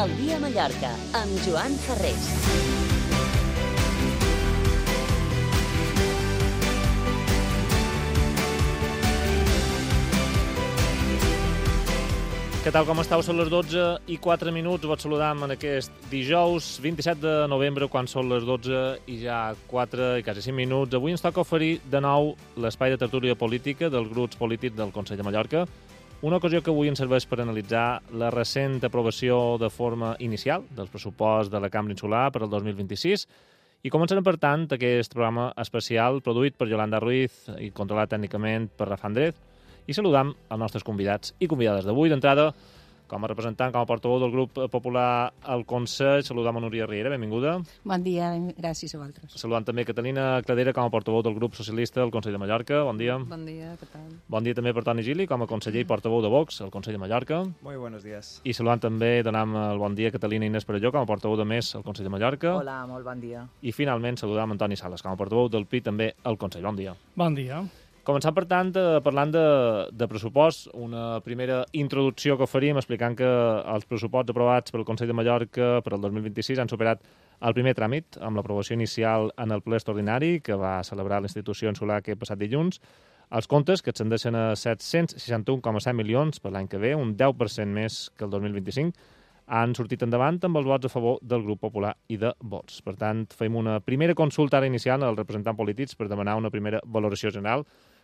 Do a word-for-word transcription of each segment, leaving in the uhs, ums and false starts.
El dia a Mallorca, amb Joan Ferrés. Què tal, com estàu? Són les dotze i quatre minuts. Vos saludam en aquest dijous vint-i-set de novembre, quan són les dotze i ja quatre i quasi cinc minuts. Avui ens toca oferir de nou l'espai de tertúlia política dels grups polítics del Consell de Mallorca, una ocasió que avui ens serveix per analitzar la recent aprovació de forma inicial del pressupost de la Cambra Insular per al dos mil vint-i-sis, i començarem, per tant, aquest programa especial produït per Yolanda Ruiz i controlat tècnicament per Rafa Andrés. I saludam els nostres convidats i convidades d'avui. D'entrada, com a representant, com a portaveu del grup popular al Consell, saludam a Núria Riera, benvinguda. Bon dia, gràcies a vosaltres. Saludam també Catalina Cladera, com a portaveu del grup socialista al Consell de Mallorca, bon dia. Bon dia, què tal? Bon dia també per Toni Gili, com a conseller i portaveu de Vox al Consell de Mallorca. Muy buenos días. I saludam també, donam el bon dia a Catalina Inés Perelló, com a portaveu de Més al Consell de Mallorca. Hola, molt bon dia. I finalment saludam Antoni Sales, com a portaveu del P I també al Consell. Bon dia. Bon dia. Començant, per tant, parlant de, de pressupost, una primera introducció que oferim explicant que els pressuposts aprovats pel Consell de Mallorca per al dos mil vint-i-sis han superat el primer tràmit amb l'aprovació inicial en el ple extraordinari que va celebrar la institució insular aquest passat dilluns. Els comptes, que ascendeixen a set-cents seixanta-un coma set milions per l'any que ve, un deu per cent més que el dos mil vint-i-cinc, han sortit endavant amb els vots a favor del grup popular i de Vox. Per tant, fem una primera consulta ara inicial als representants polítics per demanar una primera valoració general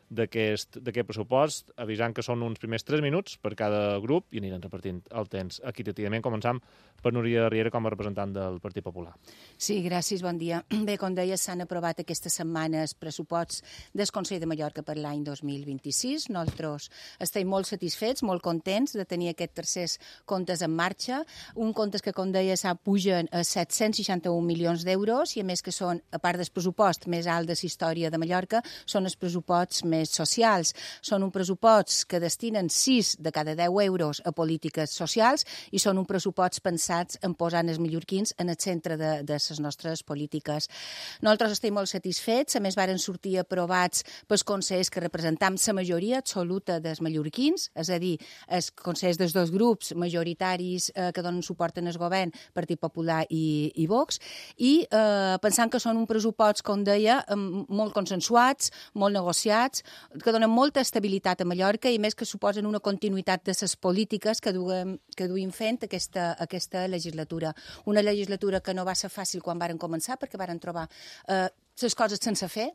d'aquest pressupost, avisant que són uns primers tres minuts per cada grup i aniran repartint el temps equitativament. Començam per Núria Riera com a representant del Partit Popular. Sí, gràcies, bon dia. Bé, com deies, s'han aprovat aquestes setmanes pressuposts del Consell de Mallorca per l'any dos mil vint-i-sis. Nosaltres estem molt satisfets, molt contents de tenir aquests tercers comptes en marxa. Un comptes que, com deies, pugen a set-cents seixanta-un milions d'euros i, a més, que són, a part del pressupost més alt de la història de Mallorca, són els pressuposts més socials. Són un pressupost que destinen sis de cada deu euros a polítiques socials i són un pressupost pensats en posar els mallorquins en el centre de, de les nostres polítiques. Nosaltres estem molt satisfets, a més varen sortir aprovats pels consells que representam la majoria absoluta dels mallorquins, és a dir, els consells dels dos grups majoritaris eh, que donen suport en el govern, Partit Popular i, i Vox, i eh, pensant que són un pressupost, com deia, molt consensuats, molt negociats, que donen molta estabilitat a Mallorca i més que suposen una continuïtat de les polítiques que duem, que duim fent aquesta, aquesta legislatura. Una legislatura que no va ser fàcil quan varen començar perquè varen trobar eh, les coses sense fer,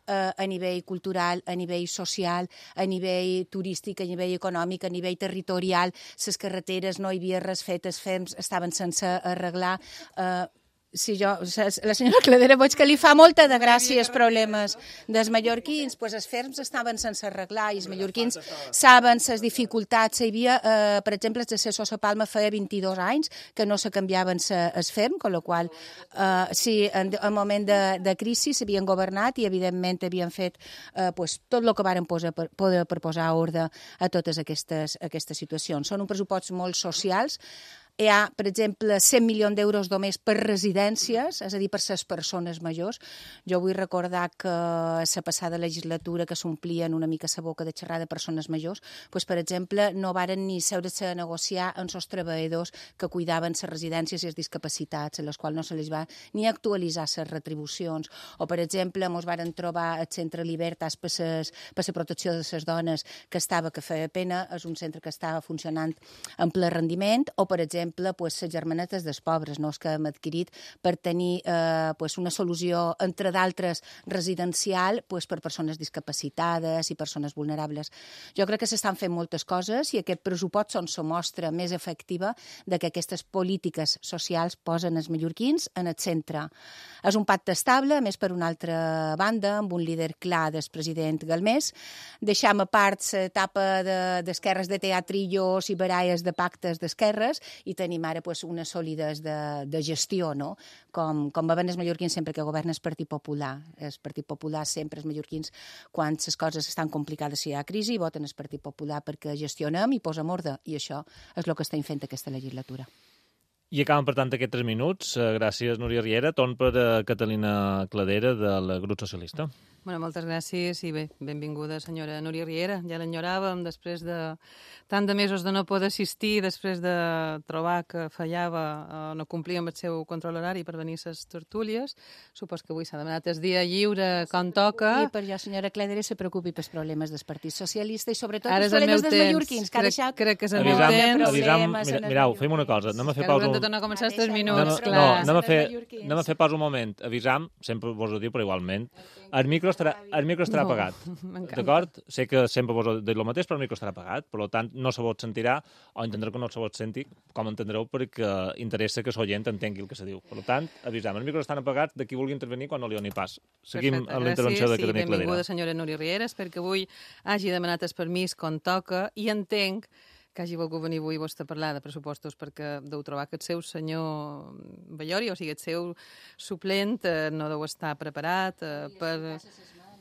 eh, a nivell cultural, a nivell social, a nivell turístic, a nivell econòmic, a nivell territorial. Les carreteres no hi havia res fet, els ferms estaven sense arreglar. Eh, Sí, jo, la senyora Cladera veig que li fa molta de gràcia els problemes dels mallorquins, doncs els ferms estaven sense arreglar i els mallorquins saben les dificultats. Hi havia, eh, per exemple, els de Sosa Palma feia vint-i-dos anys que no se canviaven els ferms, amb la qual eh, sí, en, en moment de, de crisi s'havien governat i, evidentment, havien fet eh, pues, tot el que varen posar per, poder per posar ordre a totes aquestes, aquestes situacions. Són un pressupost molt socials. Hi ha, per exemple, cent milions d'euros només per residències, és a dir, per les persones majors. Jo vull recordar que la passada legislatura que s'omplien una mica la boca de xerrar de persones majors, doncs, per exemple, no varen ni seure-se a negociar amb els treballadors que cuidaven les residències i les discapacitats, a les quals no se les va ni actualitzar les retribucions. O, per exemple, ens varen trobar el Centre Libertas per la protecció de les dones, que estava, que feia pena, és un centre que estava funcionant en ple rendiment, o, per exemple, pues, les germanetes dels pobres, no? Que hem adquirit per tenir eh, pues, una solució, entre d'altres, residencial pues, per persones discapacitades i persones vulnerables. Jo crec que s'estan fent moltes coses i aquest pressupost són la mostra més efectiva de que aquestes polítiques socials posen els mallorquins en el centre. És un pacte estable, a més, per una altra banda, amb un líder clar del president Galmés. Deixam a part l'etapa d'esquerres de teatrillos i baralles de pactes d'esquerres i tenim ara pues, unes sòlides de, de gestió, no? Com, com veuen els mallorquins sempre que governa el Partit Popular. El Partit Popular sempre, els mallorquins, quan les coses estan complicades si hi ha crisi, voten el Partit Popular perquè gestionem i posem ordre, i això és el que estem fent aquesta legislatura. I acaben, per tant, aquests tres minuts. Gràcies, Núria Riera. Torn per Catalina Cladera, del grup socialista. Bueno, moltes gràcies i bé, benvinguda senyora Núria Riera. Ja l'enyoràvem després de tant de mesos de no poder assistir, després de trobar que fallava o no complia amb el seu control horari per venir a les tertúlies. Supos que avui s'ha demanat el dia lliure com toca. I per jo, senyora Cledere, se preocupi pels problemes del Partit Socialista i sobretot Ara els és el problemes meu dels temps. mallorquins, que ha Crec- deixat crec que és el meu Avisam, temps. avisam, mira, mirau, fem una cosa, anem a fer Que pausa haurem un... de tornar a començar els tres Ara minuts, No, no, clar. no, anem a fer, mallorquins. anem a fer pas un moment. Avisam, sempre vos ho diu, però igualment. El micro estarà, el micro estarà No, apagat. m'encanta. D'acord? Sé que sempre vos he dit el mateix, però el micro estarà apagat. Per tant, no se vos sentirà, o entendreu que no se vos senti, com entendreu, perquè interessa que l'oient entengui el que se diu. Per tant, avisam, els micros estan apagats de qui vulgui intervenir quan no li doni pas. Seguim Perfecte, amb la intervenció de gràcies, Carme i benvinguda Cladera. senyora Núria Riera. Espero que avui hagi demanat el permís com toca i entenc que hagi volgut venir avui vostè a parlar de pressupostos perquè deu trobar que el seu senyor Ballori, o sigui, el seu suplent, eh, no deu estar preparat eh, per...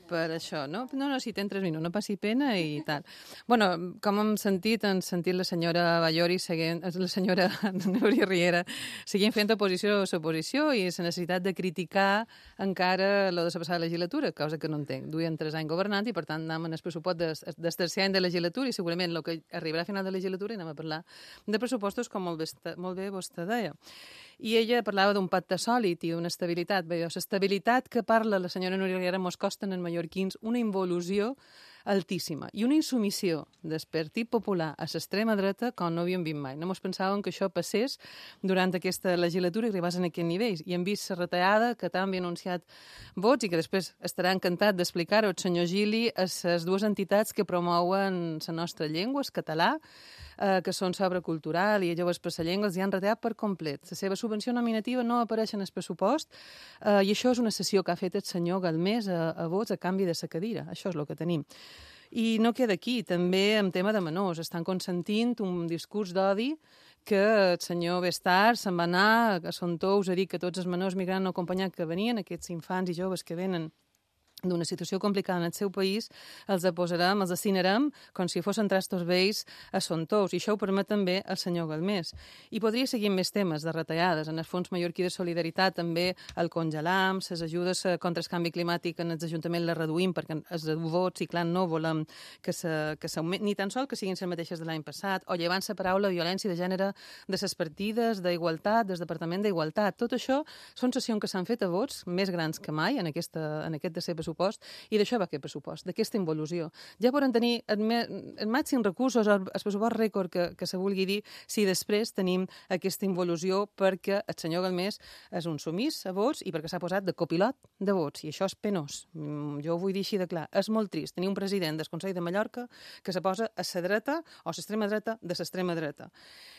per això, no? No, no, si ten tres minuts, no passi pena i tal. Bueno, com hem sentit, hem sentit la senyora Ballori, seguint, la senyora Núria Riera, seguint fent oposició a l'oposició i la necessitat de criticar encara lo de la passada legislatura, cosa que no entenc. Duien tres anys governant i, per tant, anem en el pressupost del de, tercer any de legislatura i segurament el que arribarà a final de legislatura i anem a parlar de pressupostos, com molt bé, molt bé vostè deia. I ella parlava d'un pacte sòlid i d'una estabilitat. Bé, l'estabilitat que parla la senyora Núria Riera mos costa en mallorquins una involució altíssima i una insumissió del Partit Popular a l'extrema dreta com no havíem vist mai. No mos pensàvem que això passés durant aquesta legislatura i arribés a aquests nivells. I hem vist la retallada que també ha anunciat vots i que després estarà encantat d'explicar-ho el senyor Gili a les dues entitats que promouen la nostra llengua, el català, eh, que són sobre cultural i joves per la llengua, els hi han retallat per complet. La seva subvenció nominativa no apareix en el pressupost eh, i això és una sessió que ha fet el senyor Galmés a, a vots a canvi de la cadira. Això és el que tenim. I no queda aquí, també en tema de menors. Estan consentint un discurs d'odi que el senyor Bestar se'n va anar a Son Tous a dir que tots els menors migrants no acompanyats que venien, aquests infants i joves que venen d'una situació complicada en el seu país, els posarem, els assinarem com si fossin trastos vells a Son Tous. I això ho permet també el senyor Galmés. I podria seguir amb més temes de retallades. En el Fons Mallorquí de Solidaritat també el congelam, les ajudes contra el canvi climàtic en els ajuntaments les reduïm perquè els vots, i clar, no volem que se, que ni tan sol que siguin les mateixes de l'any passat, o llevant la paraula violència de gènere de les partides d'igualtat, del Departament d'Igualtat. Tot això són sessions que s'han fet a vots més grans que mai en, aquesta, en aquest de ser pressupost. I d'això va aquest pressupost, d'aquesta involució. Ja poden tenir el màxim recursos, el pressupost rècord que, que se vulgui dir, si després tenim aquesta involució perquè el senyor Galmés és un sumís a vots i perquè s'ha posat de copilot de vots, i això és penós. Jo ho vull dir així de clar. És molt trist tenir un president del Consell de Mallorca que se posa a la dreta o a l'extrema dreta de l'extrema dreta.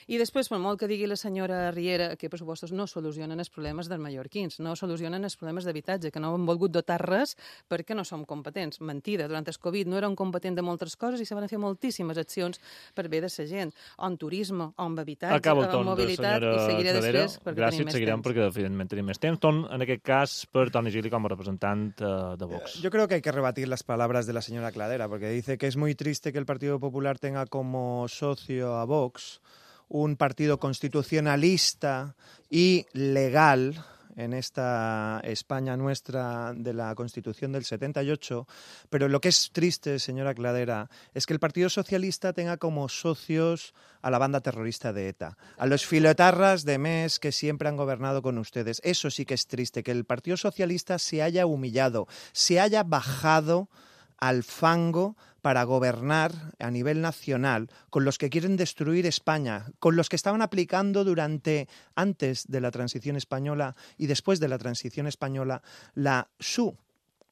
I després, per molt que digui la senyora Riera que els pressupostos no solucionen els problemes dels mallorquins, no solucionen els problemes d'habitatge, que no han volgut dotar res perquè no som competents. Mentida, durant el Covid no érem competents de moltes coses i se van fer moltíssimes accions per bé de la gent, o en turisme, o en habitatge, Acaba el o en torn de mobilitat, senyora i seguiré Cladera. després perquè Gràcies, tenim més seguirem temps. perquè evidentment tenim més temps. Torn, en aquest cas, per Toni Gili com a representant uh, de Vox. Yo creo que hay que rebatir las palabras de la señora Cladera, porque dice que es muy triste que el Partido Popular tenga como socio a Vox, un partido constitucionalista y legal en esta España nuestra de la Constitución del setenta y ocho, pero lo que es triste, señora Cladera, es que el Partido Socialista tenga como socios a la banda terrorista de ETA, a los filoetarras de M E S que siempre han gobernado con ustedes. Eso sí que es triste, que el Partido Socialista se haya humillado, se haya bajado al fango para gobernar a nivel nacional con los que quieren destruir España, con los que estaban aplicando durante, antes de la transición española y después de la transición española, la su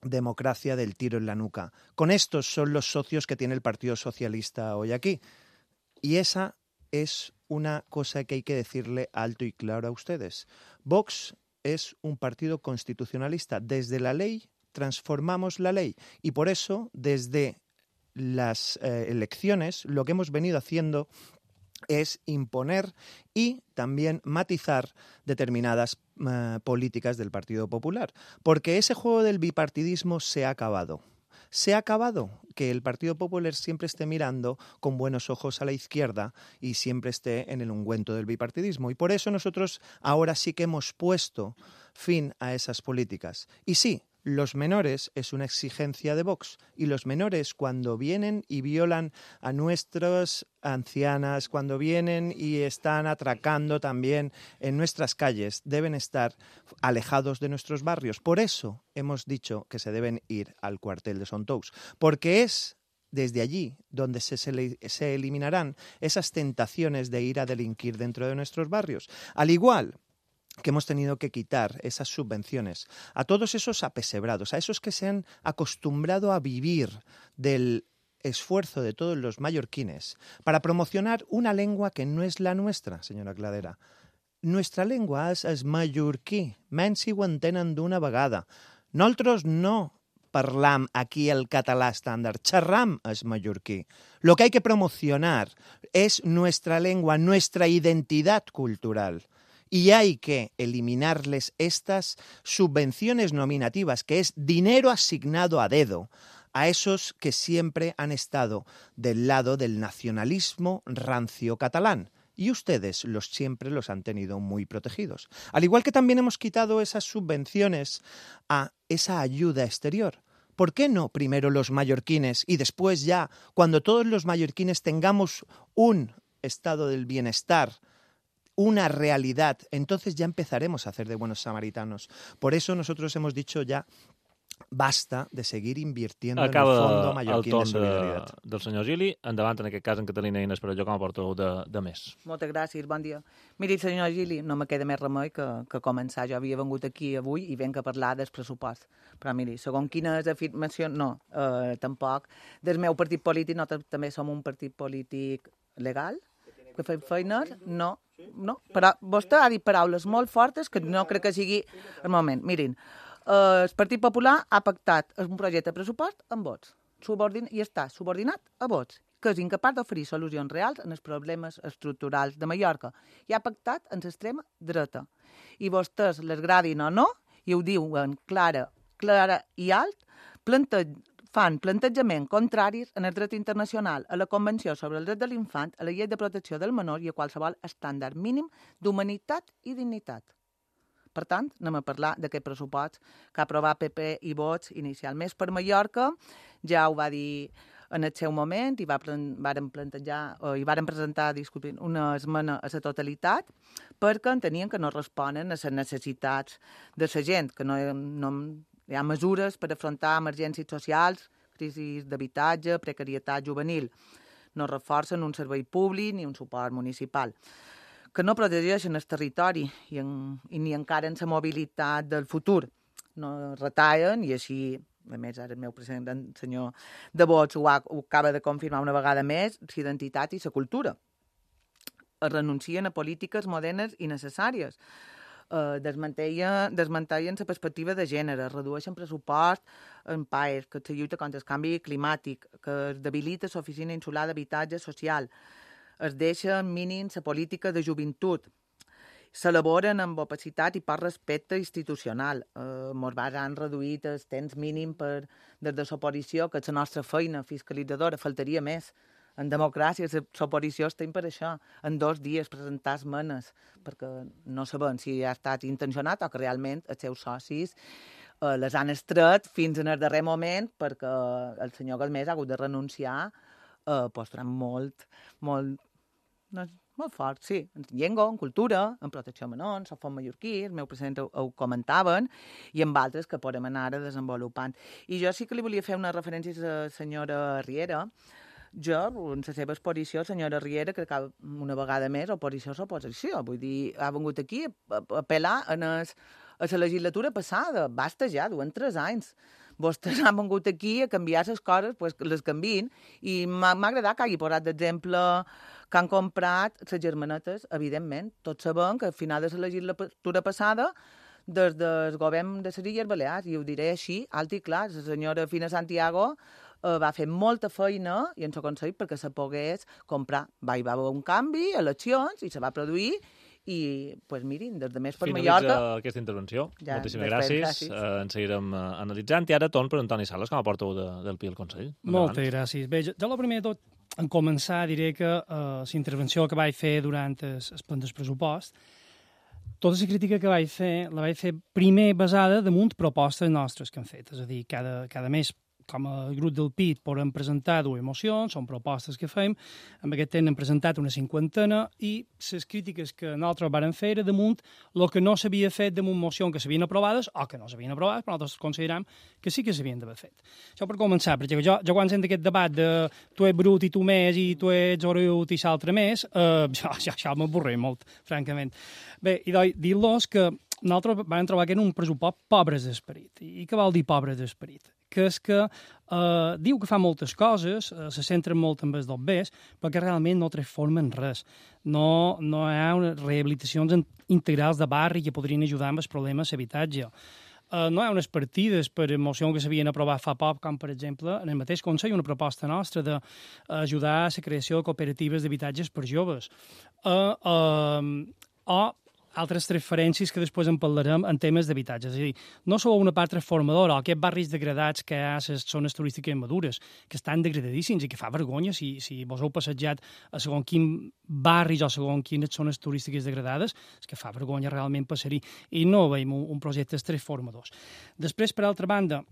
democracia del tiro en la nuca. Con estos son los socios que tiene el Partido Socialista hoy aquí. Y esa es una cosa que hay que decirle alto y claro a ustedes. Vox es un partido constitucionalista. Desde la ley transformamos la ley y por eso desde las eh, elecciones lo que hemos venido haciendo es imponer y también matizar determinadas eh, políticas del Partido Popular, porque ese juego del bipartidismo se ha acabado. Se ha acabado que el Partido Popular siempre esté mirando con buenos ojos a la izquierda y siempre esté en el ungüento del bipartidismo. Y por eso nosotros ahora sí que hemos puesto fin a esas políticas. Y sí, los menores es una exigencia de Vox y los menores cuando vienen y violan a nuestras ancianas, cuando vienen y están atracando también en nuestras calles, deben estar alejados de nuestros barrios. Por eso hemos dicho que se deben ir al cuartel de Sontous, porque es desde allí donde se, se, se eliminarán esas tentaciones de ir a delinquir dentro de nuestros barrios. Al igual que hemos tenido que quitar esas subvenciones a todos esos apesebrados, a esos que se han acostumbrado a vivir del esfuerzo de todos los mallorquines para promocionar una lengua que no es la nuestra, señora Cladera. Nuestra lengua és el mallorquí, menys si ho entenen d'una vegada. Nosaltres no parlam aquí el català estàndard, xerram el mallorquí. Lo que hay que promocionar es nuestra lengua, nuestra identidad cultural. Y hay que eliminarles estas subvenciones nominativas, que es dinero asignado a dedo, a esos que siempre han estado del lado del nacionalismo rancio catalán. Y ustedes los siempre los han tenido muy protegidos. Al igual que también hemos quitado esas subvenciones a esa ayuda exterior. ¿Por qué no primero los mallorquines y después ya, cuando todos los mallorquines tengamos un estado del bienestar, una realidad, entonces ya empezaremos a hacer de buenos samaritanos? Por eso nosotros hemos dicho ya basta de seguir invirtiendo Acaba en el Fondo Mallorquín de Solidaritat. De, del senyor Gili, endavant en aquest cas en Catalina Eines, però jo com a portaveu de, de més. Moltes gràcies, bon dia. Miri, senyor Gili, no me queda més remei que, que començar. Jo havia vengut aquí avui i venc a parlar del pressupost. Però miri, segons quines afirmacions, no, eh, tampoc. Del meu partit polític, nosaltres també som un partit polític legal, que fem feines, no, no. Però vostè ha dit paraules molt fortes que no crec que sigui el moment. Mirin, el Partit Popular ha pactat un projecte de pressupost amb vots subordin i està subordinat a vots, que és incapaç d'oferir solucions reals en els problemes estructurals de Mallorca i ha pactat amb l'extrema dreta. I vostès les gradin o no, i ho diuen clara, clara i alt, plante, fan plantejaments contraris en el dret internacional, a la Convenció sobre el dret de l'infant, a la llei de protecció del menor i a qualsevol estàndard mínim d'humanitat i dignitat. Per tant, anem a parlar d'aquest pressupost que ha aprovat P P i Vots inicialment per Mallorca. Ja ho va dir en el seu moment i va, varen plantejar, o, i varen presentar disculpin, una esmena a la totalitat perquè entenien que no responen a les necessitats de la gent, que no, no hi ha mesures per afrontar emergències socials, crisis d'habitatge, precarietat juvenil. No reforcen un servei públic ni un suport municipal, que no protegeixen el territori i, en, i ni encara en la mobilitat del futur. No retallen i així, a més, ara el meu president, el senyor de Vots, ho, ha, ho acaba de confirmar una vegada més, l'identitat i la cultura. Es renuncien a polítiques modernes i necessàries. Eh, desmantellen, desmantellen la perspectiva de gènere, redueixen pressupost en P A E S, que se lluita contra el canvi climàtic, que es debilita l'Oficina Insular d'Habitatge Social, es deixa mínim la política de joventut, s'elaboren amb opacitat i poc respecte institucional. Eh, mos han reduït el temps mínim per, des de l'oposició, que és la nostra feina fiscalitzadora, faltaria més. En democràcia, l'oposició estem per això, en dos dies presentar esmenes, perquè no sabem si ha estat intencionat o que realment els seus socis eh, les han estret fins en el darrer moment perquè el senyor Galmés ha hagut de renunciar eh, postant molt, molt, no, molt fort, sí, en llengua, en cultura, en protecció menor, en Sofont Mallorquí, el meu president ho, ho comentaven, i amb altres que podem anar ara desenvolupant. I jo sí que li volia fer una referència a la senyora Riera. Jo, en la seva exposició, senyora Riera, crec que una vegada més, oposició és oposició. Vull dir, ha vingut aquí a apel·lar en es, a la legislatura passada. Basta ja, duen tres anys. Vostès han vingut aquí a canviar les coses, pues les canvien, i m'ha agradat que hagi posat d'exemple que han comprat les germanetes, evidentment. Tots sabem que al final de la legislatura passada, des del govern de les Illes Balears, i ho diré així, alt i clar, la senyora Fina Santiago eh, va fer molta feina i ens ho aconseguit perquè se pogués comprar. Va, hi va haver un canvi, eleccions, i se va produir, i, pues, mirin, des de més per Finalitza Mallorca... aquesta intervenció. Ja, moltíssimes després, gràcies. gràcies. Eh, ens seguirem uh, analitzant. I ara torn per Antoni Sales, com a portaveu de, del P I al Consell. Moltes gràcies. Bé, jo, jo el primer de tot, en començar, diré que uh, la intervenció que vaig fer durant el, el plan del pressupost, tota la crítica que vaig fer, la vaig fer primer basada damunt propostes nostres que hem fet. És a dir, cada, cada mes, com a grup del P I T, podem presentar dues mocions, són propostes que fem. En aquest temps hem presentat una cinquantena i les crítiques que nosaltres vàrem fer era damunt el que no s'havia fet damunt mocions que s'havien aprovades o que no s'havien aprovat, però nosaltres consideram que sí que s'havien d'haver fet. Això per començar, perquè jo, jo quan sento aquest debat de tu ets brut i tu més i tu ets orut i l'altre més, eh, ja, ja, ja m'avorré molt, francament. Bé, i dir-los que nosaltres vam trobar que era un pressupost pobres d'esperit. I què vol dir pobres d'esperit? Que és que eh, diu que fa moltes coses, eh, se centren molt en els dobbers, però que realment no transformen res. No, no hi ha unes rehabilitacions integrals de barri que podrien ajudar amb els problemes d'habitatge. Uh, no hi ha unes partides per moció que s'havien aprovat fa poc, com per exemple en el mateix Consell una proposta nostra d'ajudar a la creació de cooperatives d'habitatges per joves. Uh, uh, o altres referències que després en parlarem en temes d'habitatge. És a dir, no sou una part transformadora, o aquests barris degradats que hi ha a les zones turístiques madures, que estan degradadíssims i que fa vergonya si, si vos heu passejat a segons quin barris o segons quines zones turístiques degradades, és que fa vergonya realment passar-hi. I no veiem un, un projecte transformadors. Després, per altra banda,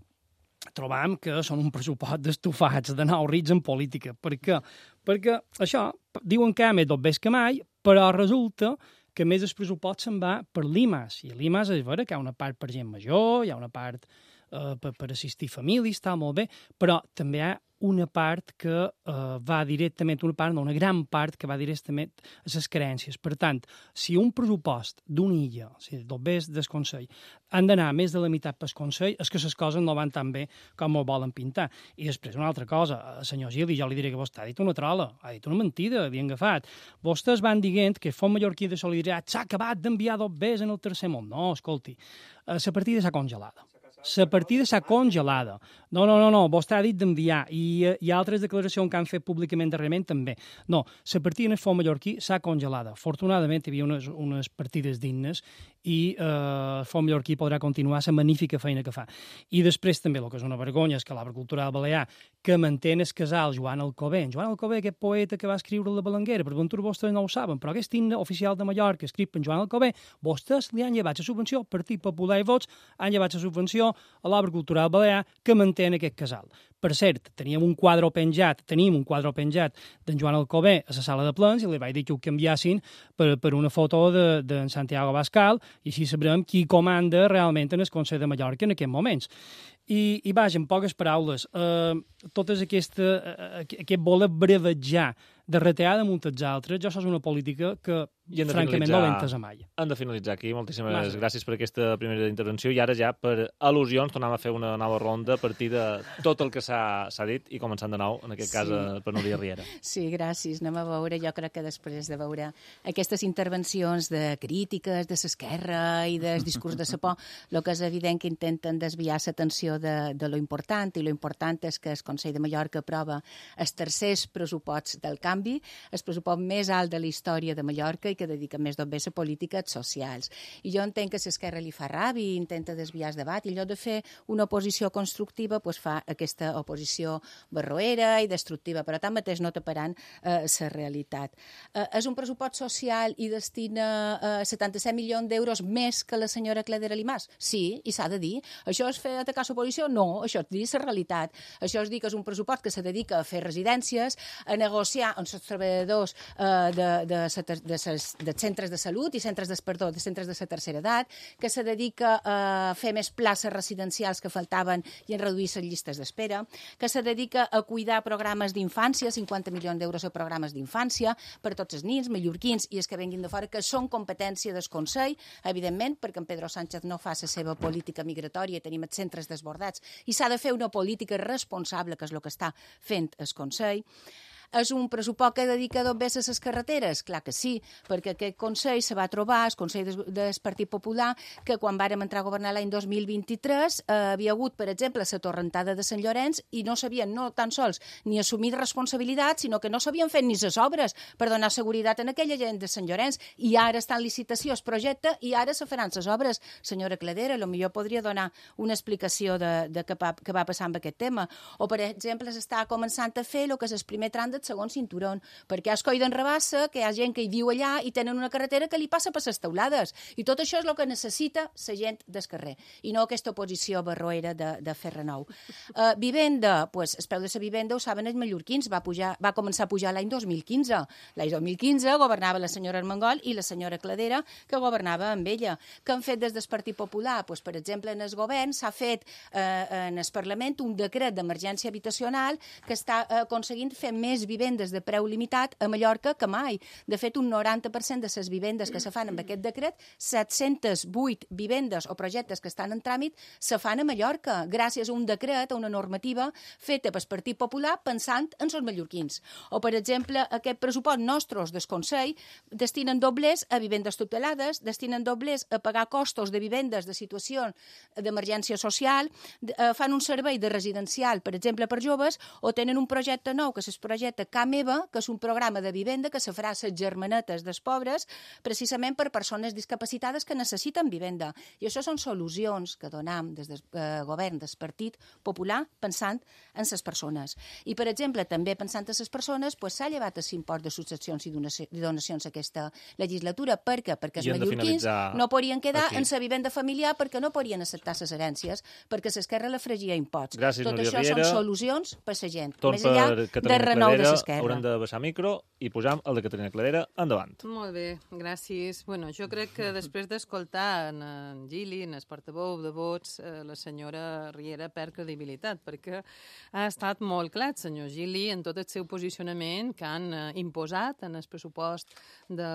trobam que són un pressupost d'estufats, de nous rits en política. Per què? Perquè això, diuen que hi ha més dobbers que mai, però resulta que més el pressupost se'n va per l'I M A S. I l'I M A S és vera que hi ha una part per gent major, hi ha una part eh, per, per assistir famílies, està molt bé, però també hi ha una part que eh, va directament, una part, no, una gran part que va directament a les carències. Per tant, si un pressupost d'una illa, o sigui, dobbers del Consell, han d'anar més de la meitat pel Consell, és que les coses no van tan bé com ho volen pintar. I després, una altra cosa, senyor Gili, jo li diré que vostè ha dit una trola, ha dit una mentida, havien agafat. Vostès van dient que el Fons Mallorquí de Solidaritat s'ha acabat d'enviar dobbers en el tercer món. No, escolti, la partida s'ha congelada. La partida s'ha congelada. No, no, no, no, vostè ha dit d'enviar, i hi ha altres declaracions que han fet públicament darrerament també. No, la partida en el Fons Mallorquí s'ha congelada. Afortunadament hi havia unes, unes partides dignes i eh, el Fons Mallorquí podrà continuar la magnífica feina que fa. I després també, el que és una vergonya, és que l'Arbre Cultural Balear, que manté el casal Joan Alcover, Joan Alcover, aquest poeta que va escriure La Balanguera, per ventura vostès no ho saben, però aquest himne oficial de Mallorca, escrit per Joan Alcover, vostès li han llevat la subvenció, Partit Popular i Vots han llevat la subvenció a l'Arbre Cultural Balear que manté aquest casal. Per cert, teníem un quadre penjat, tenim un quadre penjat d'en Joan Alcover a la sala de plens i li vaig dir que ho canviassin per, per una foto d'en de, de Santiago Abascal i així sabrem qui comanda realment en el Consell de Mallorca en aquests moments. I, i vaja, en poques paraules, eh, totes aquesta, eh, aquest voler brevejar de retear damunt els altres, jo això és una política que, francament, no l'he entesa mai. Hem de finalitzar aquí. Moltíssimes Massa. gràcies per aquesta primera intervenció i ara ja, per al·lusions, tornem a fer una nova ronda a partir de tot el que s'ha dit i començant de nou, en aquest cas, sí. per Núria Riera. Sí, gràcies. Anem a veure, jo crec que després de veure aquestes intervencions de crítiques de l'esquerra i del discurs de la por, el que és evident que intenten desviar l'atenció de, de lo important, i lo important és que el Consell de Mallorca aprova els tercers pressuposts del canvi, el pressupost més alt de la història de Mallorca i que dedica més d'obès a polítiques socials. I jo entenc que l'esquerra li fa ràbia i intenta desviar el debat, i en lloc de fer una oposició constructiva, doncs fa aquesta oposició barroera i destructiva, però tanmateix no taparan la eh, realitat. Eh, és un pressupost social i destina eh, setanta-set milions d'euros més que la senyora Cladera Limàs? Sí, i s'ha de dir. Això és fer atacar l'oposició? No, això és dir la realitat. Això és dir que és un pressupost que se dedica a fer residències, a negociar amb els treballadors eh, de, de, de, de, ses, de centres de salut i centres de, perdó, de centres de la tercera edat, que se dedica a fer més places residencials que faltaven i a reduir les llistes d'espera, que se dedica a cuidar programes d'infància, cinquanta milions d'euros a programes d'infància per tots els nins, mallorquins i els que venguin de fora, que són competència del Consell, evidentment, perquè en Pedro Sánchez no fa la seva política migratòria i tenim els centres desbordats, i s'ha de fer una política responsable, que és el que està fent el Consell. És un pressupost que dedica dos vegades a les carreteres? Clar que sí, perquè aquest Consell se va trobar, el Consell del Partit Popular, que quan vàrem entrar a governar l'any dos mil vint-i-tres eh, havia hagut, per exemple, la torrentada de Sant Llorenç i no sabien no tan sols ni assumir responsabilitats, sinó que no s'havien fet ni les obres per donar seguretat en aquella gent de Sant Llorenç, i ara està en licitació el projecte i ara se faran les obres. Senyora Cladera, potser podria donar una explicació de, de què, va, què va passar amb aquest tema. O, per exemple, s'està començant a fer el que és el primer tram de el segon cinturó, perquè és coi d'enrabassa, que hi ha gent que hi viu allà i tenen una carretera que li passa per les teulades. I tot això és el que necessita la gent del carrer, i no aquesta oposició barroera de, de Ferre Nou. Uh, vivenda, pues, el preu de la vivenda, ho saben els mallorquins, va, pujar, va començar a pujar l'any dos mil quinze. L'any dos mil quinze governava la senyora Armengol i la senyora Cladera, que governava amb ella. Què han fet des del Partit Popular? Pues, per exemple, en el govern s'ha fet eh, en el Parlament un decret d'emergència habitacional que està eh, aconseguint fer més vivendes de preu limitat a Mallorca que mai. De fet, un noranta per cent de les vivendes que se fan amb aquest decret, set-cents vuit vivendes o projectes que estan en tràmit, se fan a Mallorca, gràcies a un decret, a una normativa feta pel Partit Popular pensant en els mallorquins. O, per exemple, aquest pressupost nostres del Consell destinen doblers a vivendes tutelades, destinen doblers a pagar costos de vivendes de situació d'emergència social, eh, fan un servei de residencial, per exemple, per joves, o tenen un projecte nou, que és el projecte Ca Meva, que és un programa de vivenda que se farà a les germanetes dels pobres, precisament per persones discapacitades que necessiten vivenda. I això són solucions que donam des del eh, govern del Partit Popular pensant en les persones. I, per exemple, també pensant en les persones, pues, s'ha llevat l'impost de successions i donacions aquesta legislatura. Per què? Perquè els mallorquins no podien quedar aquí en la vivenda familiar perquè no podien acceptar les herències, perquè l'esquerra la fregia imposts. Gràcies, Tot Núria això Riera. Són solucions per la gent. Torn Més enllà de renou de l'esquerra. Haurem de baixar micro i posam el de Caterina Cladera endavant. Molt bé, gràcies. Bueno, jo crec que després d'escoltar en, en Gili, en el portaveu de vots, eh, la senyora Riera perd credibilitat, perquè ha estat molt clar, senyor Gili, en tot el seu posicionament que han eh, imposat en el pressupost de,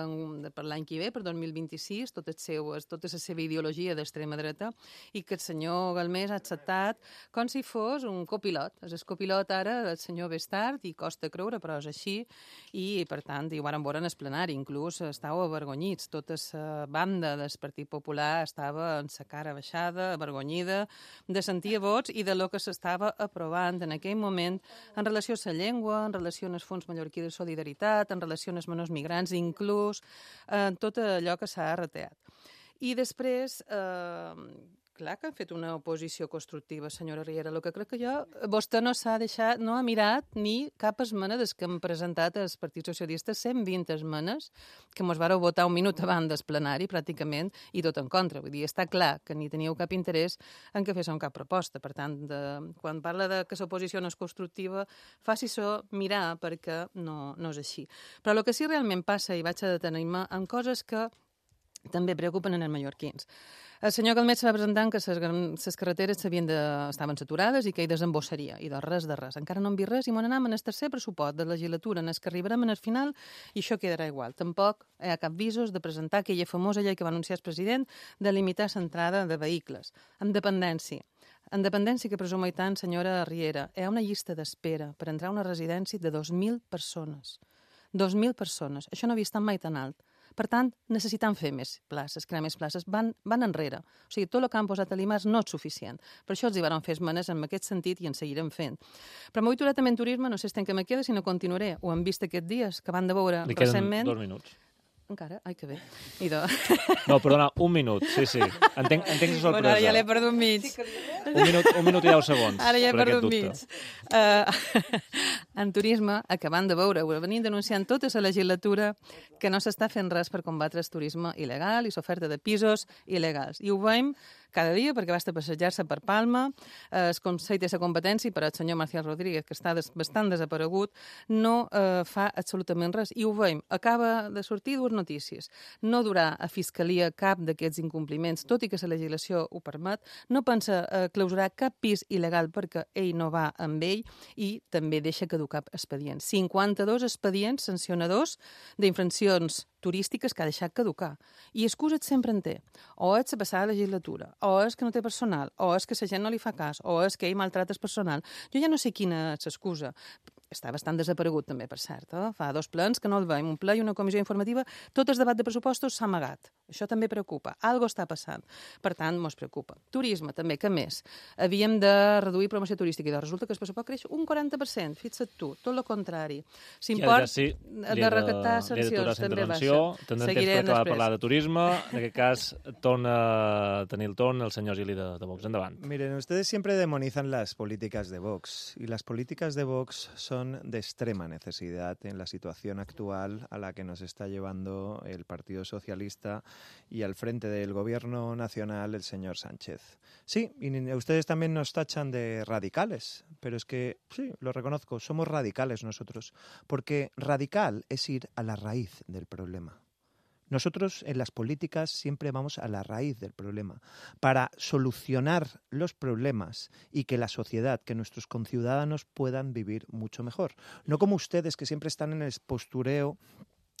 de, per l'any que ve, per dos mil vint-i-sis, tot el seu, tota la seva ideologia d'extrema dreta, i que el senyor Galmés ha acceptat com si fos un copilot. És el copilot ara del senyor Bestard, i costa creure, però és així, i per tant, i ho varen veure en el plenari, inclús estàveu avergonyits. Tota la banda del Partit Popular estava en sa cara baixada, avergonyida, de sentir vots i de lo que s'estava aprovant en aquell moment en relació a la llengua, en relació al Fons Mallorquí de Solidaritat, en relació als menors migrants, inclús en tot allò que s'ha reteat. I després, eh, clar que han fet una oposició constructiva, senyora Riera. El que crec que jo, vostè no s'ha deixat, no ha mirat ni cap esmena des que hem presentat al Partit Socialista cent vint esmenes, que mos vareu votar un minut abans del plenari, pràcticament, i tot en contra. Vull dir, està clar que ni teníeu cap interès en que féssiu cap proposta. Per tant, de, quan parla de que l'oposició no és constructiva, faci-s'ho mirar, perquè no, no és així. Però el que sí realment passa, i vaig a detenir-me, en coses que també preocupen en els mallorquins. El senyor Calmet va presentant que les carreteres de, estaven saturades i que hi desembossaria, i de res de res. Encara no hem vist res i m'on anem en el tercer pressupost de legislatura, en el que arribarem en el final, i això quedarà igual. Tampoc hi ha cap visos de presentar aquella famosa llei que va anunciar el president de limitar l'entrada de vehicles. En dependència. En dependència que presumeix tant, senyora Riera, hi ha una llista d'espera per entrar a una residència de dos mil persones. dos mil persones. Això no havia estat mai tan alt. Per tant, necessitem fer més places, crear més places. Van, van enrere. O sigui, tot el que han posat a l'IMAS no és suficient. Per això els hi van fer esmenes en aquest sentit i en seguirem fent. Però m'ho vull aturar també en turisme, no sé si que me queda, si no continuaré. Ho hem vist aquests dies, que van de veure Li queden recentment. dos minuts. Encara? Ai, que bé. I de... No, perdona, un minut, sí, sí. Entenc, entenc la sorpresa. Bueno, ara ja l'he perdut mig. Un minut, un minut i deu segons. Ara ja he per aquest perdut dubte. mig. Uh, en turisme, acabant de veure, ho venim denunciant tota la legislatura que no s'està fent res per combatre el turisme il·legal i l'oferta de pisos il·legals. I ho veiem cada dia, perquè va estar a passejar-se per Palma, eh, el Consell té la competència, però el senyor Marcial Rodríguez, que està des, bastant desaparegut, no eh, fa absolutament res. I ho veiem. Acaba de sortir dues notícies. No durà a Fiscalia cap d'aquests incompliments, tot i que la legislació ho permet. No pensa eh, clausurar cap pis il·legal perquè ell no va amb ell, i també deixa caducar expedients. cinquanta-dos expedients sancionadors d'infraccions turístiques que ha deixat caducar. I excuses sempre en té. O és la passada legislatura, o és que no té personal, o és que la gent no li fa cas, o és que ell maltrata el personal. Jo ja no sé quina és l'excusa. Està bastant desaparegut, també, per cert. Eh? Fa dos plens que no el veiem, un ple i una comissió informativa. Tot el debat de pressupostos s'ha amagat. Això també preocupa. Algo està passant. Per tant, mos preocupa. Turisme, també, què més? Havíem de reduir promoció turística i doncs resulta que el pressupost creix un quaranta per cent. Fixa't tu, tot el contrari. S'import ja, sí, de recaptar sancions també baixa. Tindrem temps per acabar de parlar de turisme. En aquest cas, torna a tenir el torn el senyor Gili de, de Vox. Endavant. Miren, ustedes siempre demonizan las políticas de Vox y las políticas de Vox son son de extrema necesidad en la situación actual a la que nos está llevando el Partido Socialista y al frente del Gobierno Nacional el señor Sánchez. Sí, y ustedes también nos tachan de radicales, pero es que, sí, lo reconozco, somos radicales nosotros, porque radical es ir a la raíz del problema. Nosotros en las políticas siempre vamos a la raíz del problema para solucionar los problemas y que la sociedad, que nuestros conciudadanos puedan vivir mucho mejor. No como ustedes que siempre están en el postureo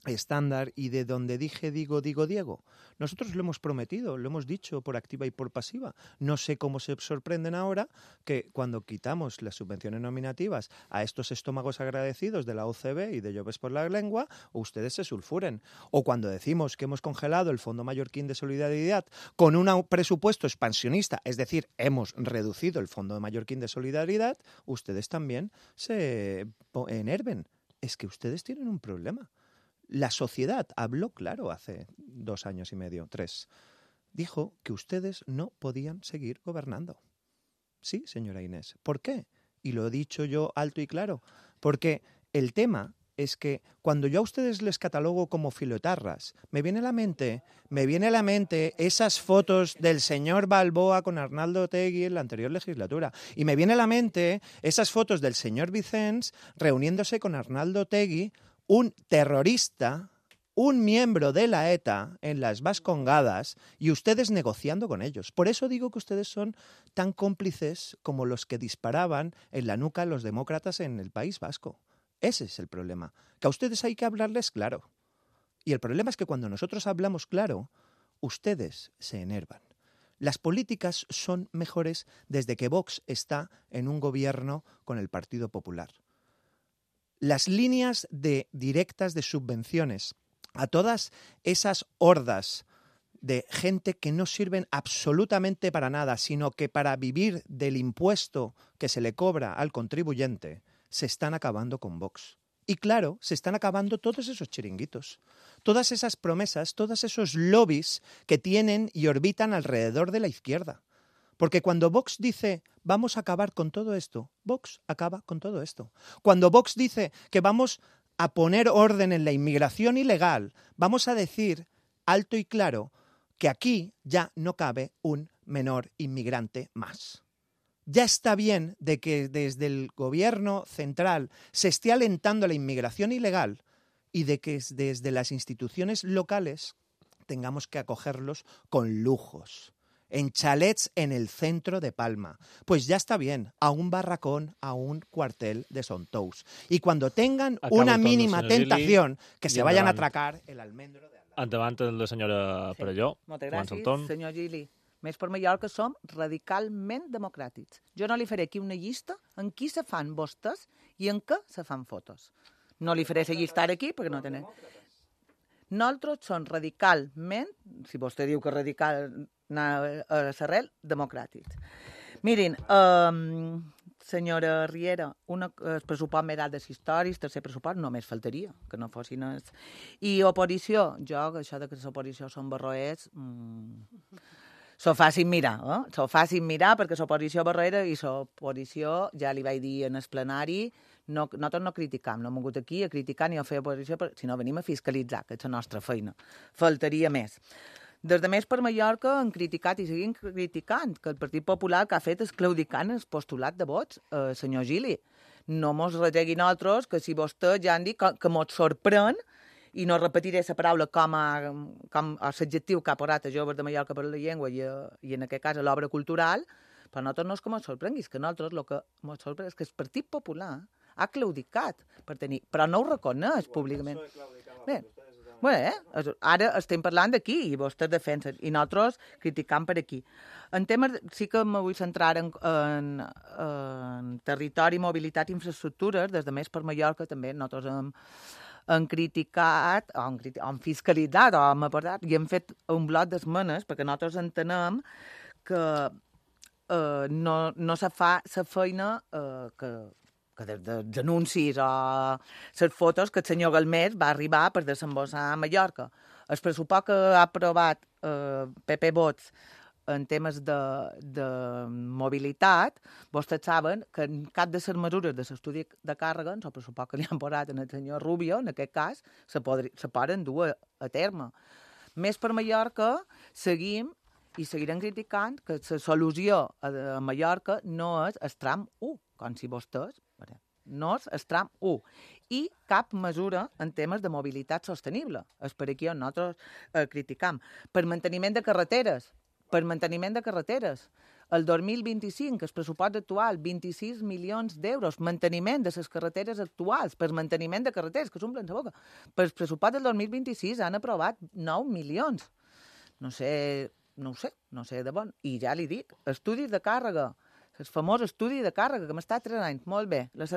estándar y de donde dije, digo, digo, Diego. Nosotros lo hemos prometido, lo hemos dicho por activa y por pasiva. No sé cómo se sorprenden ahora que cuando quitamos las subvenciones nominativas a estos estómagos agradecidos de la O C B y de Lloves por la Lengua, ustedes se sulfuren. O cuando decimos que hemos congelado el Fondo Mallorquín de Solidaridad con un presupuesto expansionista, es decir, hemos reducido el Fondo Mallorquín de Solidaridad, ustedes también se enerven. Es que ustedes tienen un problema. La sociedad habló claro hace dos años y medio, tres. Dijo que ustedes no podían seguir gobernando. Sí, señora Inés. ¿Por qué? Y lo he dicho yo alto y claro. Porque el tema es que cuando yo a ustedes les catalogo como filoetarras, me viene a la mente, me viene a la mente esas fotos del señor Balboa con Arnaldo Otegi en la anterior legislatura. Y me viene a la mente esas fotos del señor Vicens reuniéndose con Arnaldo Otegi, un terrorista, un miembro de la ETA en las Vascongadas y ustedes negociando con ellos. Por eso digo que ustedes son tan cómplices como los que disparaban en la nuca a los demócratas en el País Vasco. Ese es el problema, que a ustedes hay que hablarles claro. Y el problema es que cuando nosotros hablamos claro, ustedes se enervan. Las políticas son mejores desde que Vox está en un gobierno con el Partido Popular. Las líneas de directas de subvenciones a todas esas hordas de gente que no sirven absolutamente para nada, sino que para vivir del impuesto que se le cobra al contribuyente, se están acabando con Vox. Y claro, se están acabando todos esos chiringuitos, todas esas promesas, todos esos lobbies que tienen y orbitan alrededor de la izquierda. Porque cuando Vox dice vamos a acabar con todo esto, Vox acaba con todo esto. Cuando Vox dice que vamos a poner orden en la inmigración ilegal, vamos a decir alto y claro que aquí ya no cabe un menor inmigrante más. Ya está bien de que desde el gobierno central se esté alentando la inmigración ilegal y de que desde las instituciones locales tengamos que acogerlos con lujos, en chalets en el centro de Palma. Pues ya está bien, a un barracón, a un cuartel de Sontous. Y cuando tengan Acabo una el torn, mínima senyor Gili, tentación, que se i vayan a endavant. atracar el almendro de al lado. Endavant la senyora Sí. Perelló. Moltes Comença el gràcies, torn. senyor Gili. Més per Mallorca som radicalment democràtics. Jo no li faré aquí una llista en qui se fan vostès i en què se fan fotos. No li faré la llista ara aquí perquè no tenen... Nosaltres som radicalment, si vostè diu que radical anar a l'arrel, democràtics. Mirin, um, senyora Riera, una, el pressupost m'he dat de històries, tercer pressupost, només faltaria que no fossin els... I oposició, jo, això de que l'oposició són barroers, mmm, s'ho facin mirar, eh? S'ho facin mirar perquè l'oposició barroera i l'oposició, ja li vaig dir en el plenari, no, nosaltres no criticam, no hem vingut aquí a criticar ni a fer oposició, sinó venim a fiscalitzar, que és la nostra feina. Faltaria més. Des de Més per Mallorca han criticat i seguim criticant que el Partit Popular que ha fet és claudicant el postulat de vots, eh, senyor Gili. No mos retegui nosaltres que si vostè ja han dit que, que mos sorprèn, i no repetiré la paraula com a, com a l'adjectiu que ha posat a Joves de Mallorca per la Llengua i, a, i en aquest cas a l'obra cultural, però nosaltres no és que mos sorprengui, és que nosaltres el que mos sorprèn és que el Partit Popular ha claudicat per tenir, però no ho reconeix públicament. Bé, bé, eh? Ara estem parlant d'aquí i vostès defensen, i nosaltres criticant per aquí. En temes, sí que me vull centrar en, en, en territori, mobilitat i infraestructures, des de Més per Mallorca també nosaltres hem, hem criticat, o hem, hem fiscalitzat, o hem aportat, i hem fet un bloc d'esmenes, perquè nosaltres entenem que eh, no, no se fa la feina eh, que que des dels anuncis o les fotos que el senyor Galmés va arribar per desembossar a Mallorca. El pressupost que ha aprovat eh, P P Vots en temes de, de mobilitat, vostès saben que en cap de les mesures de l'estudi de càrrega, en el pressupost que li han posat en el senyor Rubio, en aquest cas, se, podri, se poden dur a, a terme. Més per Mallorca, seguim i seguirem criticant que la solució a, a Mallorca no és el tram u, com si vostès... no és el tram u, i cap mesura en temes de mobilitat sostenible. És per aquí on nosaltres eh, criticam. Per manteniment de carreteres, per manteniment de carreteres. El dos mil vint-i-cinc, el pressupost actual, vint-i-sis milions d'euros, manteniment de les carreteres actuals, per manteniment de carreteres, que s'omplen la boca. Per el pressupost del dos mil vint-i-sis han aprovat nou milions. No sé, no ho sé, no sé de bon. I ja li dic, estudis de càrrega, el famós estudi de càrrega, que m'està tres anys, molt bé, les...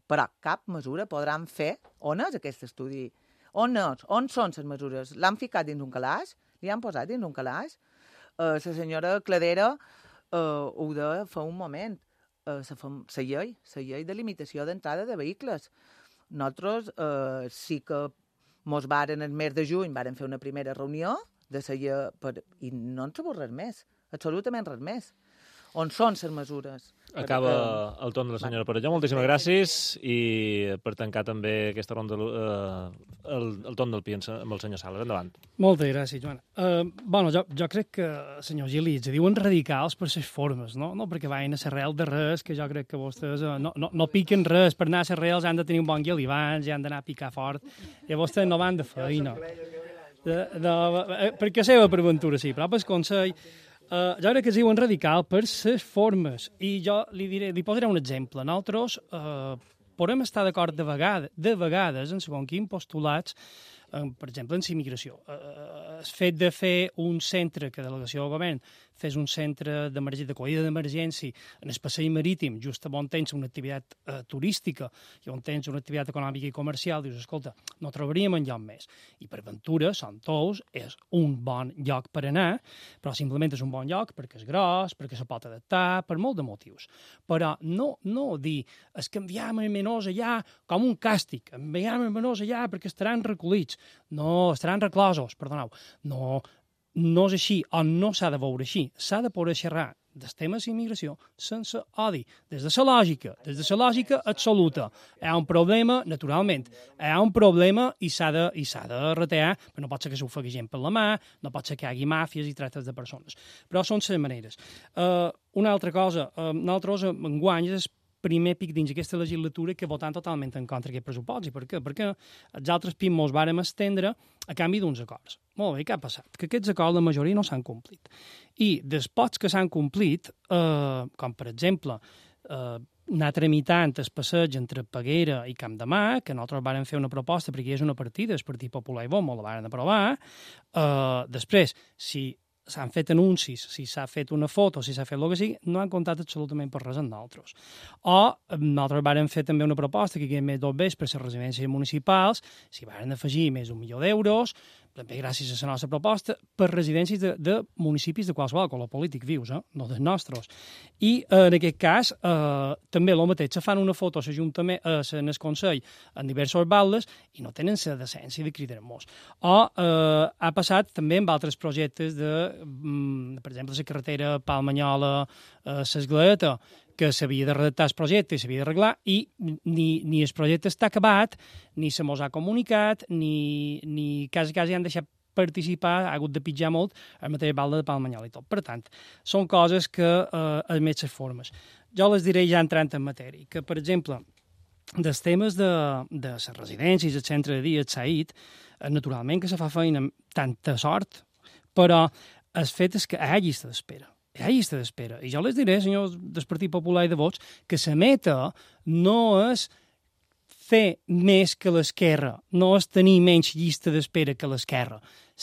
però cap mesura podran fer. On és aquest estudi? On és? On són les mesures? L'han ficat dins un calaix? Li han posat dins un calaix? Uh, la senyora Cladera uh, ho deia fa un moment. Uh, la llei, la llei de limitació d'entrada de vehicles. Nosaltres uh, sí que mos varen el mes de juny, varen fer una primera reunió de la llei, per... i no en sabut res més, absolutament res més. On són les mesures? Acaba el torn de la senyora Perelló. Moltíssimes gràcies. I per tancar també aquesta ronda, eh, el, el torn del Pi amb el senyor Sales. Endavant. Moltes gràcies, Joana. Uh, bueno, jo, jo crec que, senyor Gili, ens diuen radicals per les formes, no? No perquè vagin a l'arrel de res, que jo crec que vostès uh, no, no, no piquen res. Per anar a l'arrel han de tenir un bon guió abans, ja han d'anar a picar fort, i vostès no van de feina. De, de, perquè seva per aventura, sí, però per consell... Uh, jo crec que es diuen radical per les formes. I jo li, diré, li posaré un exemple. Nosaltres uh, podem estar d'acord de, vegada, de vegades en segons quins postulats, uh, per exemple, en la immigració. Uh, el fet de fer un centre, que delegació del govern fes un centre d'acollida d'emergència en el passeig marítim, just on tens una activitat uh, turística i on tens una activitat econòmica i comercial, dius, escolta, no trobaríem enlloc més. I per Ventura, Sant Tous, és un bon lloc per anar, però simplement és un bon lloc perquè és gros, perquè se pot adaptar, per molt de motius. Però no, no dir, es que enviam els menors allà com un càstig, enviam els menors allà perquè estaran recollits, no, estaran reclosos, perdoneu, no, no és així, o no s'ha de veure així, s'ha de poder xerrar dels temes d'immigració sense odi, des de la lògica, des de la lògica absoluta. Hi ha un problema, naturalment, hi ha un problema i s'ha de, i s'ha de retear, però no pot ser que s'ofegui gent per la mà, no pot ser que hi hagi màfies i tractes de persones. Però són les maneres. Uh, una altra cosa, uh, nosaltres enguany és primer pic dins aquesta legislatura que votant totalment en contra d'aquest pressupost. I per què? Perquè els altres P I M mos vàrem estendre a canvi d'uns acords. Molt bé, què ha passat? Que aquests acords, la majoria no s'han complit. I dels pocs que s'han complit, eh, com per exemple eh, anar tramitant el passeig entre Peguera i Camp de Mar, que nosaltres vàrem fer una proposta perquè hi és una partida, el Partit Popular i Vox la varen aprovar. Eh, després, si s'han fet anuncis, si s'ha fet una foto, si s'ha fet el que sigui, no han comptat absolutament per res amb nosaltres. O nosaltres vàrem fer també una proposta que hi havia més d'obres per les residències municipals, s'hi varen afegir més d'un milió d'euros, també gràcies a la nostra proposta, per residències de, de municipis de qualsevol color polític vius, eh? No dels nostres. I eh, en aquest cas, eh, també el mateix, se fan una foto a l'Ajuntament, eh, en el Consell, en diversos baldes, i no tenen la decència de cridar-nos. O eh, ha passat també amb altres projectes de, mm, per exemple, la carretera Palmanyola, eh, l'Esglaeta, que s'havia de redactar el projecte i s'havia d'arreglar, i ni, ni el projecte està acabat, ni se mos ha comunicat, ni, ni quasi, quasi han deixat participar, ha hagut de pitjar molt el mateix balde de Palmanyola i tot. Per tant, són coses que eh, admet les formes. Jo les diré ja entrant en matèria, que, per exemple, dels temes de, de les residències, el centre de dia, el SAIT, eh, naturalment que se fa feina amb tanta sort, però el fet és que hi ha llista d'espera. Hi ha llista d'espera. I jo les diré, senyors del Partit Popular i de Vots, que la meta no és fer més que l'esquerra, no és tenir menys llista d'espera que l'esquerra.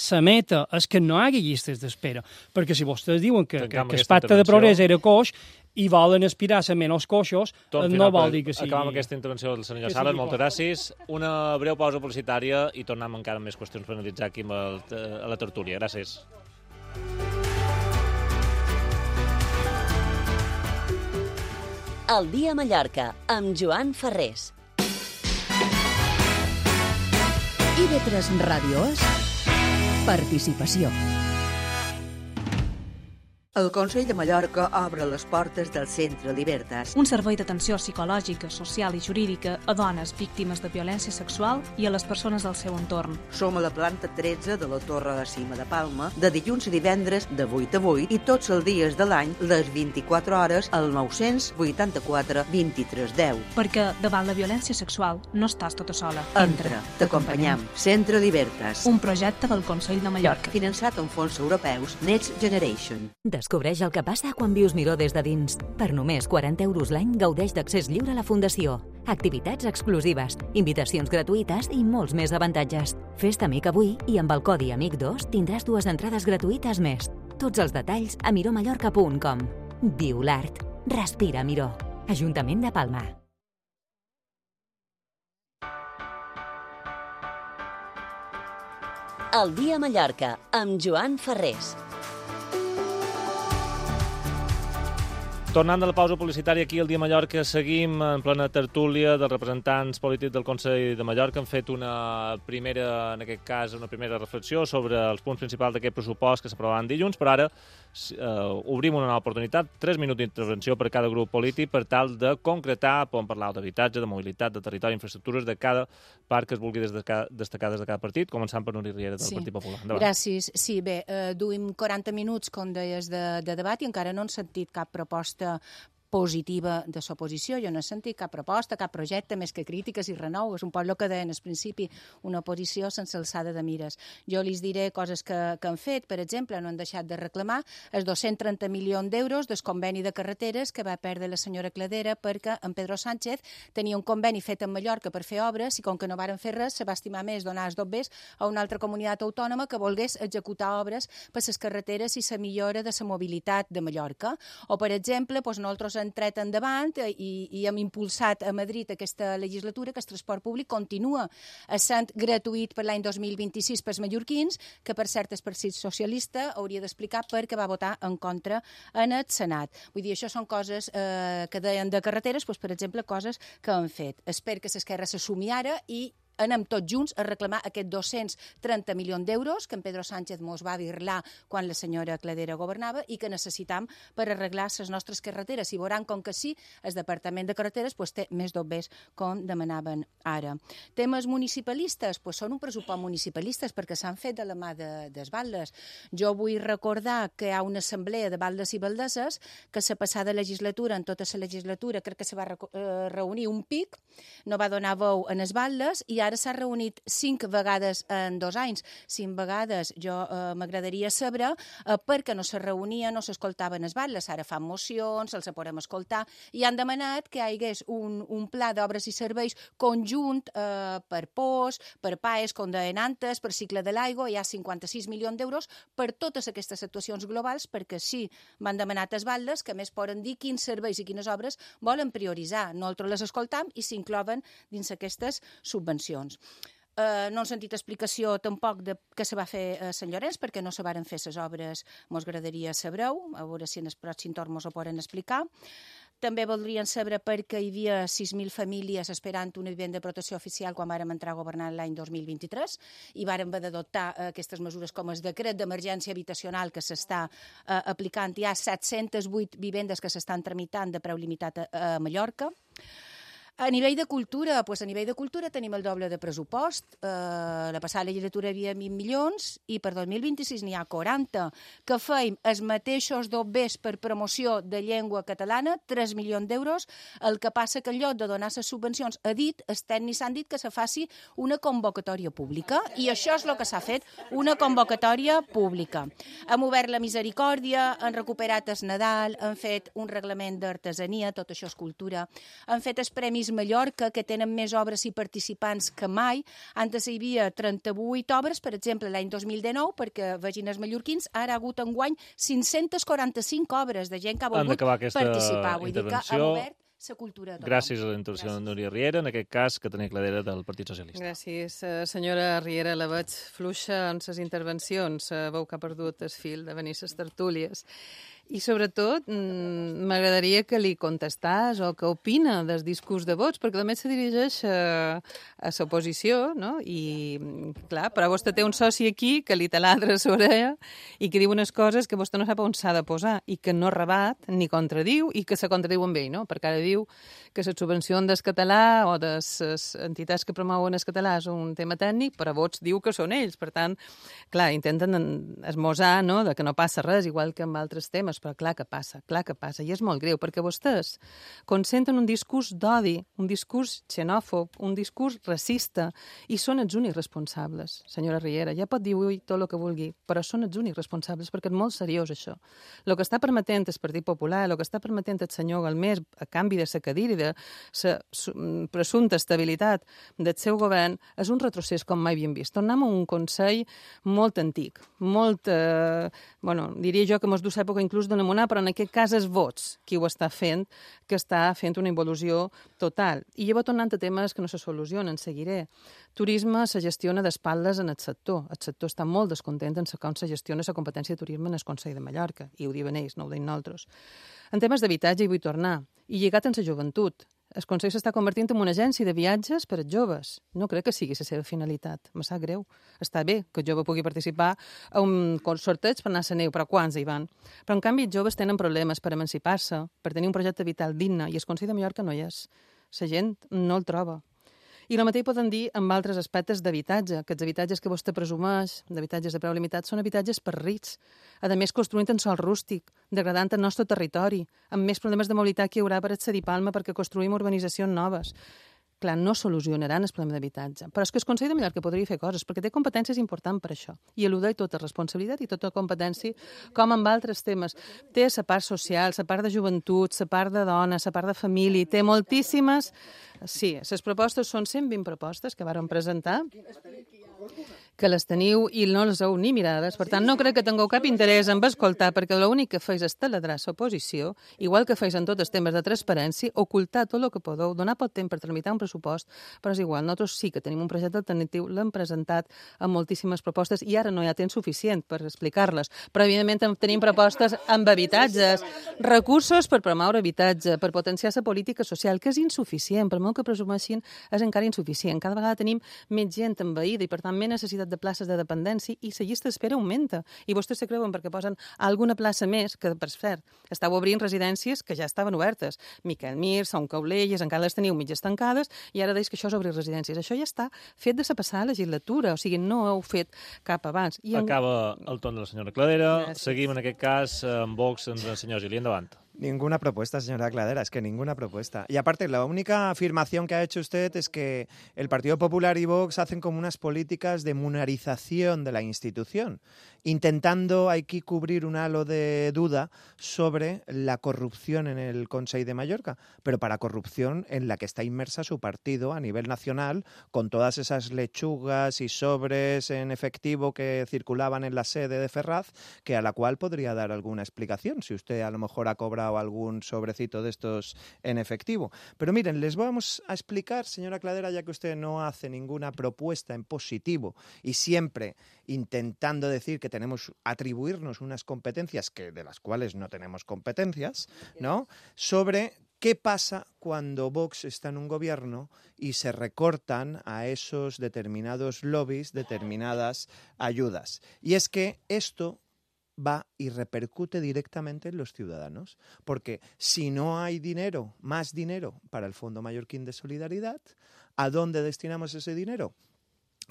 La meta és que no hi hagi llistes d'espera, perquè si vostès diuen que, que, que el pacte de progrés era coix i volen aspirar a ser menys coixos, no vol dir que sigui... Acabem aquesta intervenció del senyor Sales, moltes gràcies. Una breu pausa publicitària i tornem encara amb més qüestions per analitzar aquí amb el, a la tertúlia. Gràcies. El dia a Mallorca, amb Joan Ferrés. I V tres Ràdio és participació. El Consell de Mallorca obre les portes del Centre Libertas. Un servei d'atenció psicològica, social i jurídica a dones víctimes de violència sexual i a les persones del seu entorn. Som a la planta tretze de la Torre de Cima de Palma, de dilluns a divendres de vuit a vuit i tots els dies de l'any, les vint-i-quatre hores, al nou-cents vuitanta-quatre vint-i-tres deu. Perquè davant la violència sexual no estàs tota sola. Entra, t'acompanyam. Centre Libertas. Un projecte del Consell de Mallorca. Finançat amb fons europeus Next Generation. Descobreix el que passa quan vius Miró des de dins. Per només quaranta euros l'any gaudeix d'accés lliure a la Fundació. Activitats exclusives, invitacions gratuïtes i molts més avantatges. Fes-te amic avui i amb el codi amic dos tindràs dues entrades gratuïtes més. Tots els detalls a miromallorca punt com. Viu l'art. Respira Miró. Ajuntament de Palma. El dia a Mallorca, amb Joan Ferrés. Tornant de la pausa publicitària aquí al Dia Mallorca, seguim en plena tertúlia dels representants polítics del Consell de Mallorca. Han fet una primera, en aquest cas, una primera reflexió sobre els punts principals d'aquest pressupost que s'aprovaran dilluns, però ara eh, obrim una nova oportunitat, tres minuts d'intervenció per cada grup polític per tal de concretar, podem parlar d'habitatge, de mobilitat, de territori, infraestructures, de cada part que es vulgui destacar, destacar des de cada partit, començant per Núria Riera del sí. Partit Popular. Endavant. Gràcies. Sí, bé, eh, duim quaranta minuts, com deies, de, de debat i encara no hem sentit cap proposta positiva de l'oposició. Jo no he sentit cap proposta, cap projecte, més que crítiques i renou. És un poc el que deien al principi, una oposició sense alçada de mires. Jo li diré coses que, que han fet. Per exemple, no han deixat de reclamar els dos-cents trenta milions d'euros del conveni de carreteres que va perdre la senyora Cladera perquè en Pedro Sánchez tenia un conveni fet en Mallorca per fer obres i com que no varen fer res, se va estimar més donar els dobbers a una altra comunitat autònoma que volgués executar obres per les carreteres i la millora de la mobilitat de Mallorca. O, per exemple, doncs, nosaltres hem tret endavant i, i hem impulsat a Madrid aquesta legislatura que el transport públic continua sent gratuït per l'any dos mil vint-i-sis pels mallorquins, que per cert el Partit Socialista hauria d'explicar per què va votar en contra en el Senat. Vull dir, això són coses eh, que deien de carreteres, doncs, per exemple, coses que han fet. Espero que l'esquerra s'assumi ara i anem tots junts a reclamar aquests dos-cents trenta milions d'euros que en Pedro Sánchez mos va birlar quan la senyora Cladera governava i que necessitam per arreglar les nostres carreteres. I veuran com que sí, el Departament de Carreteres pues, té més dobbers com demanaven ara. Temes municipalistes, pues, són un pressupost municipalistes perquè s'han fet de la mà de, des Valdes. Jo vull recordar que hi ha una assemblea de Valdes i Valdeses que la passada legislatura, en tota la legislatura, crec que se va eh, reunir un pic, no va donar veu en els Valdes i ara s'ha reunit cinc vegades en dos anys. Cinc vegades jo eh, m'agradaria saber eh, per què no se reunia, no s'escoltaven els Valdes. Ara fan mocions, els podem escoltar, i han demanat que hi hagués un, un pla d'obres i serveis conjunt eh, per P O S, per P A E S, com deien antes, per cicle de l'aigua. Hi ha cinquanta-sis milions d'euros per totes aquestes actuacions globals, perquè sí, m'han demanat els Valdes que més poden dir quins serveis i quines obres volen prioritzar. Nosaltres les escoltam i s'incloven dins aquestes subvencions. Uh, no hem sentit explicació tampoc de què se va fer a Sant Llorenç, perquè no se varen fer les obres, mos agradaria saber-ho, a veure si en el pròxim torn mos ho poden explicar. També voldrien saber per què hi havia sis mil famílies esperant una vivenda de protecció oficial quan vàrem entrar a governar l'any dos mil vint-i-tres i vàrem haver d'adoptar uh, aquestes mesures com el decret d'emergència habitacional que s'està uh, aplicant. Hi ha set-centes vuit vivendes que s'estan tramitant de preu limitat a, a Mallorca. A nivell de cultura, doncs a nivell de cultura tenim el doble de pressupost. Eh, la passada legislatura hi havia vint milions i per dos mil vint-i-sis n'hi ha quaranta. Que feim els mateixos dobbers per promoció de llengua catalana, tres milions d'euros. El que passa que en lloc de donar les subvencions, ha dit, els tècnics han dit que se faci una convocatòria pública i això és el que s'ha fet, una convocatòria pública. Hem obert la misericòrdia, han recuperat el Nadal, han fet un reglament d'artesania, tot això és cultura, han fet els premis Mallorca, que tenen més obres i participants que mai. Antes hi havia trenta-vuit obres, per exemple, l'any dos mil dinou, perquè vegin els mallorquins, ara ha hagut enguany cinc-cents quaranta-cinc obres de gent que ha volgut participar. Vull dir que ha obert la cultura. Gràcies a la intervenció de Núria Riera, en aquest cas, que tenia Cladera del Partit Socialista. Gràcies, senyora Riera. La veig fluixa en ses intervencions. Veu que ha perdut el fil de venir ses tertúlies. I, sobretot, m'agradaria que li contestàs o que opina del discurs de vots, perquè només se dirigeix a, a l'oposició, no? I, clar, però vostè té un soci aquí que li taladra a l'orella i que diu unes coses que vostè no sap on s'ha de posar i que no rebat ni contradiu i que se contradiu amb ell, no? Perquè ara diu que la subvenció del català o de les entitats que promouen el català és un tema tècnic, però vots diu que són ells. Per tant, clar, intenten esmosar, no?, de que no passa res, igual que amb altres temes, però clar que passa, clar que passa, i és molt greu, perquè vostès concentren un discurs d'odi, un discurs xenòfob, un discurs racista, i són els únics responsables, senyora Riera. Ja pot dir ui, tot el que vulgui, però són els únics responsables, perquè és molt seriós, això. El que està permetent el Partit Popular, el que està permetent el senyor Galmés, a canvi de la cadira i de la presumpta estabilitat del seu govern, és un retrocés com mai havíem vist. Tornem a un Consell molt antic, molt, eh, bueno, diria jo que mos du l'època inclús d'una monà, però en aquest cas és vots qui ho està fent, que està fent una involució total. I llavors tornant a temes que no se solucionen, seguiré. Turisme se gestiona d'espatlles en el sector. El sector està molt descontent en com se gestiona la competència de turisme en el Consell de Mallorca, i ho diuen ells, no ho deim nosaltres. En temes d'habitatge hi vull tornar, i lligat amb la joventut. El Consell s'està convertint en una agència de viatges per als joves. No crec que sigui la seva finalitat. Me sap greu. Està bé que el jove pugui participar a un sorteig per anar a la neu, però quants hi van? Però, en canvi, els joves tenen problemes per emancipar-se, per tenir un projecte vital digne, i el Consell de Mallorca no hi és. La gent no el troba. I el mateix poden dir amb altres aspectes d'habitatge, que els habitatges que vostè presumeix, d'habitatges de preu limitat, són habitatges per rics, a més construint en sòl rústic, degradant el nostre territori, amb més problemes de mobilitat que hi haurà per accedir a Palma perquè construïm urbanitzacions noves. Clar, no solucionaran el problema d'habitatge. Però és que el Consell de Mallorca podria fer coses, perquè té competències importants per això. I eludeix tota responsabilitat i tota competència, com amb altres temes. Té la part social, la part de joventut, la part de dona, la part de família, té moltíssimes... Sí, les propostes són cent vint propostes que vàrem presentar, que les teniu i no les heu ni mirades. Per tant, no crec que tingueu cap interès en escoltar, perquè l'únic que feis és taladrar l'oposició, igual que feis en tots els temes de transparència, ocultar tot el que podeu, donar pot temps per tramitar un pressupost, però és igual. Nosaltres sí que tenim un projecte alternatiu, l'hem presentat amb moltíssimes propostes i ara no hi ha temps suficient per explicar-les. Però, evidentment, tenim propostes amb habitatges, recursos per promoure habitatge, per potenciar la política social, que és insuficient, per molt que presumeixin, és encara insuficient. Cada vegada tenim més gent envaïda i, per tant, més necessitat de places de dependència i la llista d'espera augmenta. I vostès se creuen perquè posen alguna plaça més, que, per cert, estàu obrint residències que ja estaven obertes. Miquel Mir, Son Caulelles, encara les teniu mitges tancades, i ara deis que això és obrir residències. Això ja està fet de la passada legislatura, o sigui, no heu fet cap abans. I en... Acaba el torn de la senyora Cladera. Gràcies. Seguim, en aquest cas, amb Vox, amb el senyor Gili. Endavant. Ninguna propuesta, señora Cladera, es que ninguna propuesta. Y aparte, la única afirmación que ha hecho usted es que el Partido Popular y Vox hacen como unas políticas de munarización de la institución, intentando aquí cubrir un halo de duda sobre la corrupción en el Consell de Mallorca, pero para corrupción en la que está inmersa su partido a nivel nacional, con todas esas lechugas y sobres en efectivo que circulaban en la sede de Ferraz, que a la cual podría dar alguna explicación, si usted a lo mejor ha cobrado o algún sobrecito de estos en efectivo. Pero miren, les vamos a explicar, señora Cladera, ya que usted no hace ninguna propuesta en positivo y siempre intentando decir que tenemos atribuirnos unas competencias que de las cuales no tenemos competencias, ¿no? Sobre qué pasa cuando Vox está en un gobierno y se recortan a esos determinados lobbies, determinadas ayudas. Y es que esto va y repercute directamente en los ciudadanos, porque si no hay dinero, más dinero para el Fondo Mallorquín de Solidaridad, ¿a dónde destinamos ese dinero?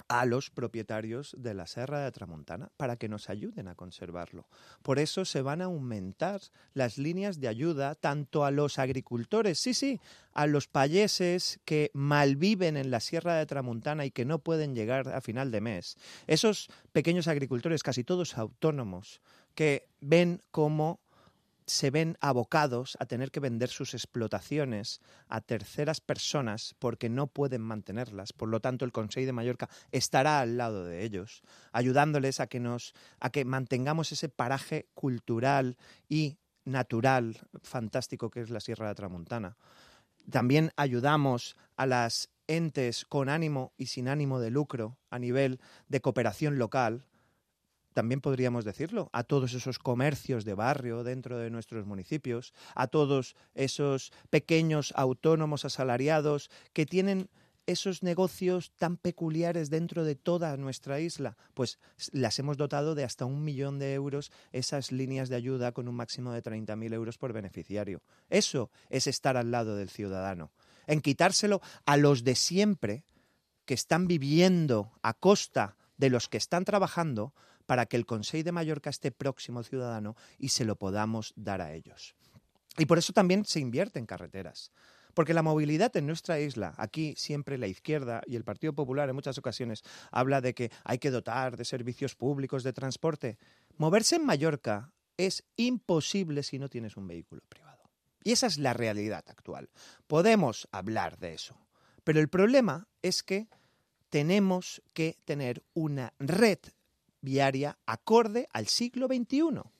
A los propietarios de la Serra de Tramuntana para que nos ayuden a conservarlo. Por eso se van a aumentar las líneas de ayuda tanto a los agricultores, sí, sí, a los payeses que malviven en la Sierra de Tramuntana y que no pueden llegar a final de mes. Esos pequeños agricultores, casi todos autónomos, que ven cómo se ven abocados a tener que vender sus explotaciones a terceras personas porque no pueden mantenerlas. Por lo tanto, el Consell de Mallorca estará al lado de ellos, ayudándoles a que, nos, a que mantengamos ese paraje cultural y natural fantástico que es la Sierra de Tramuntana. También ayudamos a las entes con ánimo y sin ánimo de lucro a nivel de cooperación local, también podríamos decirlo, a todos esos comercios de barrio dentro de nuestros municipios, a todos esos pequeños autónomos asalariados que tienen esos negocios tan peculiares dentro de toda nuestra isla, pues las hemos dotado de hasta un millón de euros esas líneas de ayuda con un máximo de treinta mil euros por beneficiario. Eso es estar al lado del ciudadano. En quitárselo a los de siempre que están viviendo a costa de los que están trabajando para que el Consell de Mallorca esté próximo al ciudadano y se lo podamos dar a ellos. Y por eso también se invierte en carreteras. Porque la movilidad en nuestra isla, aquí siempre la izquierda y el Partido Popular en muchas ocasiones habla de que hay que dotar de servicios públicos de transporte. Moverse en Mallorca es imposible si no tienes un vehículo privado. Y esa es la realidad actual. Podemos hablar de eso. Pero el problema es que tenemos que tener una red viaria acorde al siglo veintiuno.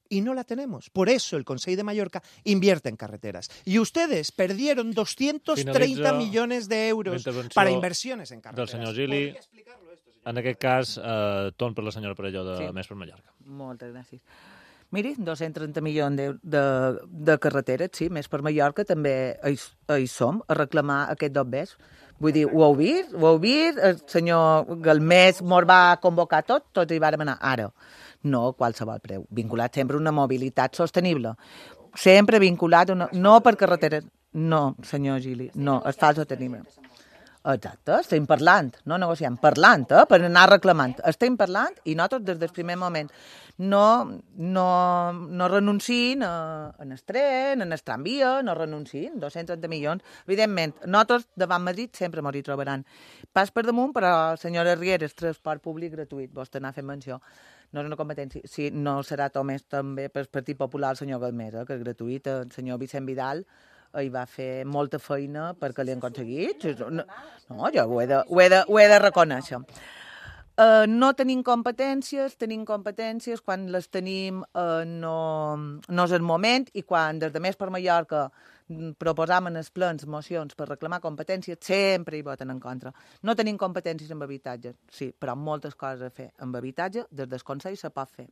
Y no la tenemos. Por eso el Consell de Mallorca invierte en carreteras. Y ustedes perdieron doscientos treinta millones de euros para inversiones en carreteras. Del senyor Gili, en aquest cas, eh, torn per la senyora Perelló de sí. Més per Mallorca. Moltes gràcies. Miri, dos-cents trenta milions de, de, de carreteres, sí, Més per Mallorca també hi, hi som, a reclamar aquest dobbers. Vull dir, ho heu vist? Ho heu vist? El senyor Galmés mos va convocar tot, tots hi vàrem anar ara. No a qualsevol preu, vinculat sempre a una mobilitat sostenible. Sempre vinculat, a una... no per carreteres. No, senyor Gili, no, es fa sostenible. Exacte, estem parlant, no negociant, parlant, eh, per anar reclamant. Estem parlant i nosaltres des del primer moment no, no, no renuncien a, a el tren, a el tramvia, no renuncien, dos-cents trenta milions. Evidentment, nosaltres davant Madrid sempre m'hi trobaran. Pas per damunt, però, senyora Riera, el transport públic gratuït, vostè n'ha fet menció. No és una competència, sí, no serà només també pel Partit Popular el senyor Galmés, eh, que és gratuït, el senyor Vicent Vidal hi va fer molta feina perquè l'hi han aconseguit. No, no jo ho he de, ho he de, ho he de reconèixer. Uh, no tenim competències, tenim competències, quan les tenim uh, no, no és el moment, i quan des de Més per Mallorca proposam en els plens mocions per reclamar competències, sempre hi voten en contra. No tenim competències en habitatge, sí, però moltes coses a fer amb habitatge, des del Consell se pot fer.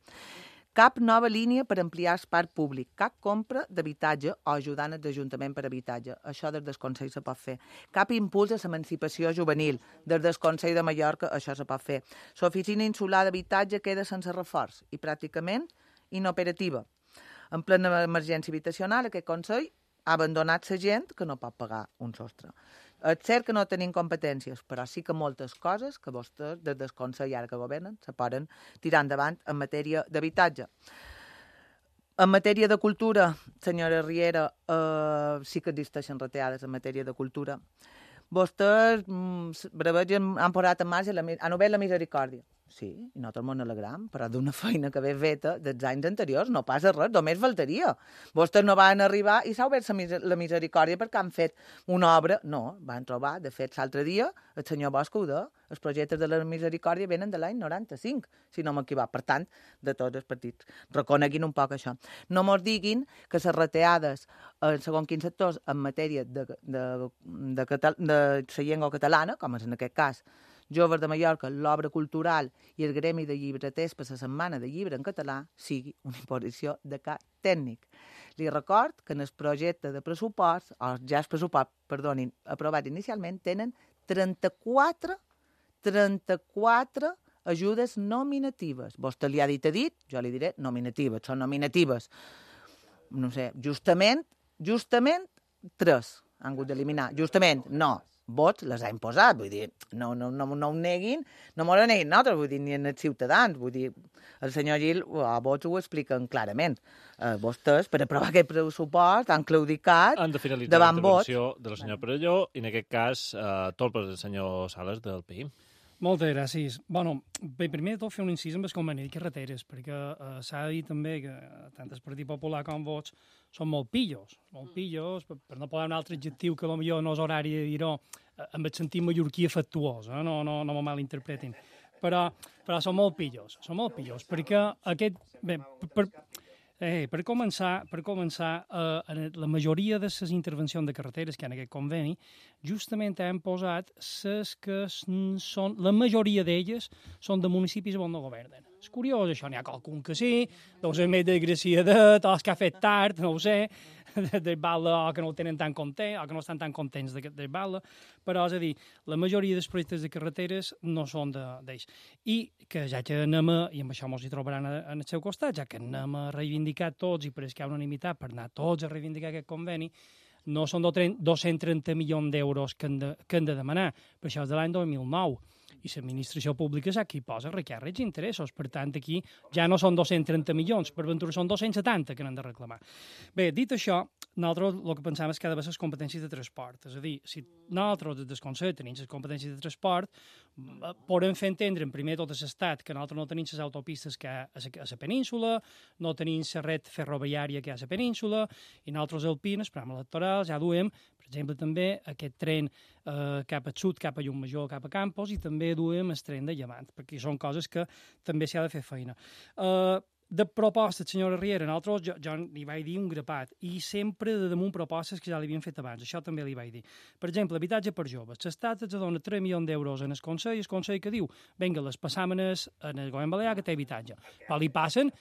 Cap nova línia per ampliar el parc públic, cap compra d'habitatge o ajudant els ajuntaments per habitatge. Això des del Consell se pot fer. Cap impuls a l'emancipació juvenil. Des del Consell de Mallorca això se pot fer. L'oficina insular d'habitatge queda sense reforç i pràcticament inoperativa. En plena emergència habitacional, aquest Consell ha abandonat la gent que no pot pagar un sostre. És cert que no tenim competències, però sí que moltes coses que vostès, des del Consell ara que governen, se poden tirar endavant en matèria d'habitatge. En matèria de cultura, senyora Riera, eh, sí que existeixen retallades en matèria de cultura. Vostès mm, han posat en marxa, la, han obert la misericòrdia. Sí, i nosaltres ens alegram, però d'una feina que ve feta dels anys anteriors no passa res, només faltaria. Vostès no van arribar i s'ha obert la misericòrdia perquè han fet una obra. No, van trobar, de fet, l'altre dia, el senyor Bosch ho deia, els projectes de la misericòrdia venen de l'any noranta-cinc, si no m'equivoc. Per tant, de tots els partits. Reconeguin un poc això. No mos diguin que les retallades en segons quins sectors en matèria de, de, de, de, de la llengua catalana, com és en aquest cas, Joves de Mallorca, l'obra cultural i el gremi de llibreters per la setmana de llibre en català sigui una imposició de cap tècnic. Li record que en el projecte de pressupost, o ja el pressupost, perdonin, aprovat inicialment, tenen trenta-quatre, trenta-quatre ajudes nominatives. Vostè li ha dit a dit, jo li diré nominatives, són nominatives. No sé, justament, justament, tres han hagut d'eliminar. Justament, no. Vots les ha imposat, vull dir, no, no, no, no ho neguin, no m'ho neguin nosaltres, vull dir, ni en els ciutadans, vull dir, el senyor Gil a vots ho expliquen clarament. Eh, vostès, per aprovar aquest pressupost, han claudicat davant vots. Han de finalitzar la intervenció de la senyora Perelló i, en aquest cas, eh, tot per el senyor Sales del P I. Moltes gràcies. Bueno, bé, primer de tot fer un incís amb el conveni de carreteres, perquè eh, s'ha de dir també que tant el Partit Popular com vots són molt pillos, molt pillos, per, per no posar un altre adjectiu que potser no és horari de dir-ho, eh, amb el sentit mallorquí afectuós, eh? no, no, no me malinterpretin. Però, però són molt pillos, són molt pillos, perquè aquest... Bé, per, Eh, per començar, per començar eh, la majoria de les intervencions de carreteres que hi ha en aquest conveni, justament hem posat les que són, la majoria d'elles són de municipis on no governen. És curiós, això, n'hi ha qualcun que sí, deu ser més desgraciadet, o que ha fet tard, no ho sé, de bala, o que no ho tenen tan content, o que no estan tan contents de, de bala, però, és a dir, la majoria dels projectes de carreteres no són d'ells. I que ja que anem a, i amb això ens hi trobaran en el seu costat, ja que anem a reivindicar tots, i per això hi ha unanimitat per anar tots a reivindicar aquest conveni, no són dos-cents trenta milions d'euros que, de, que han de demanar, per això és de l'any dos mil nou, i l'administració pública és aquí posa recàrrecs i interessos. Per tant, aquí ja no són dos-cents trenta milions, per ventura són dos-cents setanta que n'han de reclamar. Bé, dit això, nosaltres el que pensem és que ha d'haver les competències de transport. És a dir, si nosaltres des del Consell tenim les competències de transport, podem fer entendre en primer tot l'estat que nosaltres no tenim les autopistes que hi ha a la península, no tenim la red ferroviària que hi ha a la península, i nosaltres al P I N, els programes electorals, ja duem, per exemple, també aquest tren eh, cap al sud, cap a Llumajor, cap a Campos, i també duem el tren de Llevant, perquè són coses que també s'hi ha de fer feina. Eh, de propostes, senyora Riera, nosaltres, jo, jo li vaig dir un grapat, i sempre de damunt propostes que ja li havien fet abans, això també li vaig dir. Per exemple, habitatge per joves. L'Estat ens dona tres milions d'euros en el Consell, el Consell que diu, vinga, les passam en el, en el govern balear que té habitatge. Però li passen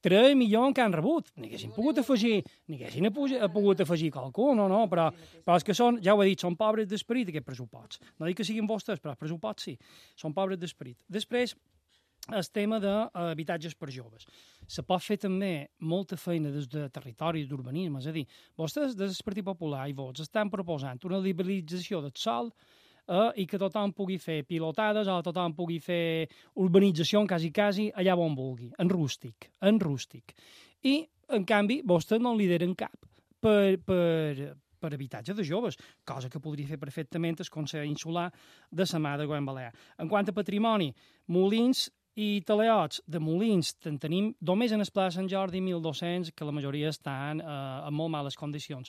tres milions que han rebut. Ni haguessin pogut afegir, ni haguessin pogut afegir qualcú, no, no, però, però és que són, ja ho he dit, són pobres d'esperit aquests pressuposts. No dic que siguin vostres, però els pressuposts sí, són pobres d'esperit. Després, el tema d'habitatges per joves. Se pot fer també molta feina des de territori d'urbanisme, és a dir, vostès des del Partit Popular i vots estan proposant una liberalització del sòl eh, i que tothom pugui fer pilotades o tothom pugui fer urbanització quasi, quasi allà on vulgui, en rústic, en rústic. I, en canvi, vostès no en lideren cap per, per, per habitatge de joves, cosa que podria fer perfectament el Consell Insular de la mà de Govern Balear. En quant a patrimoni, molins i teleots de molins en tenim només en el Pla de Sant Jordi mil dos-cents, que la majoria estan eh, en molt males condicions.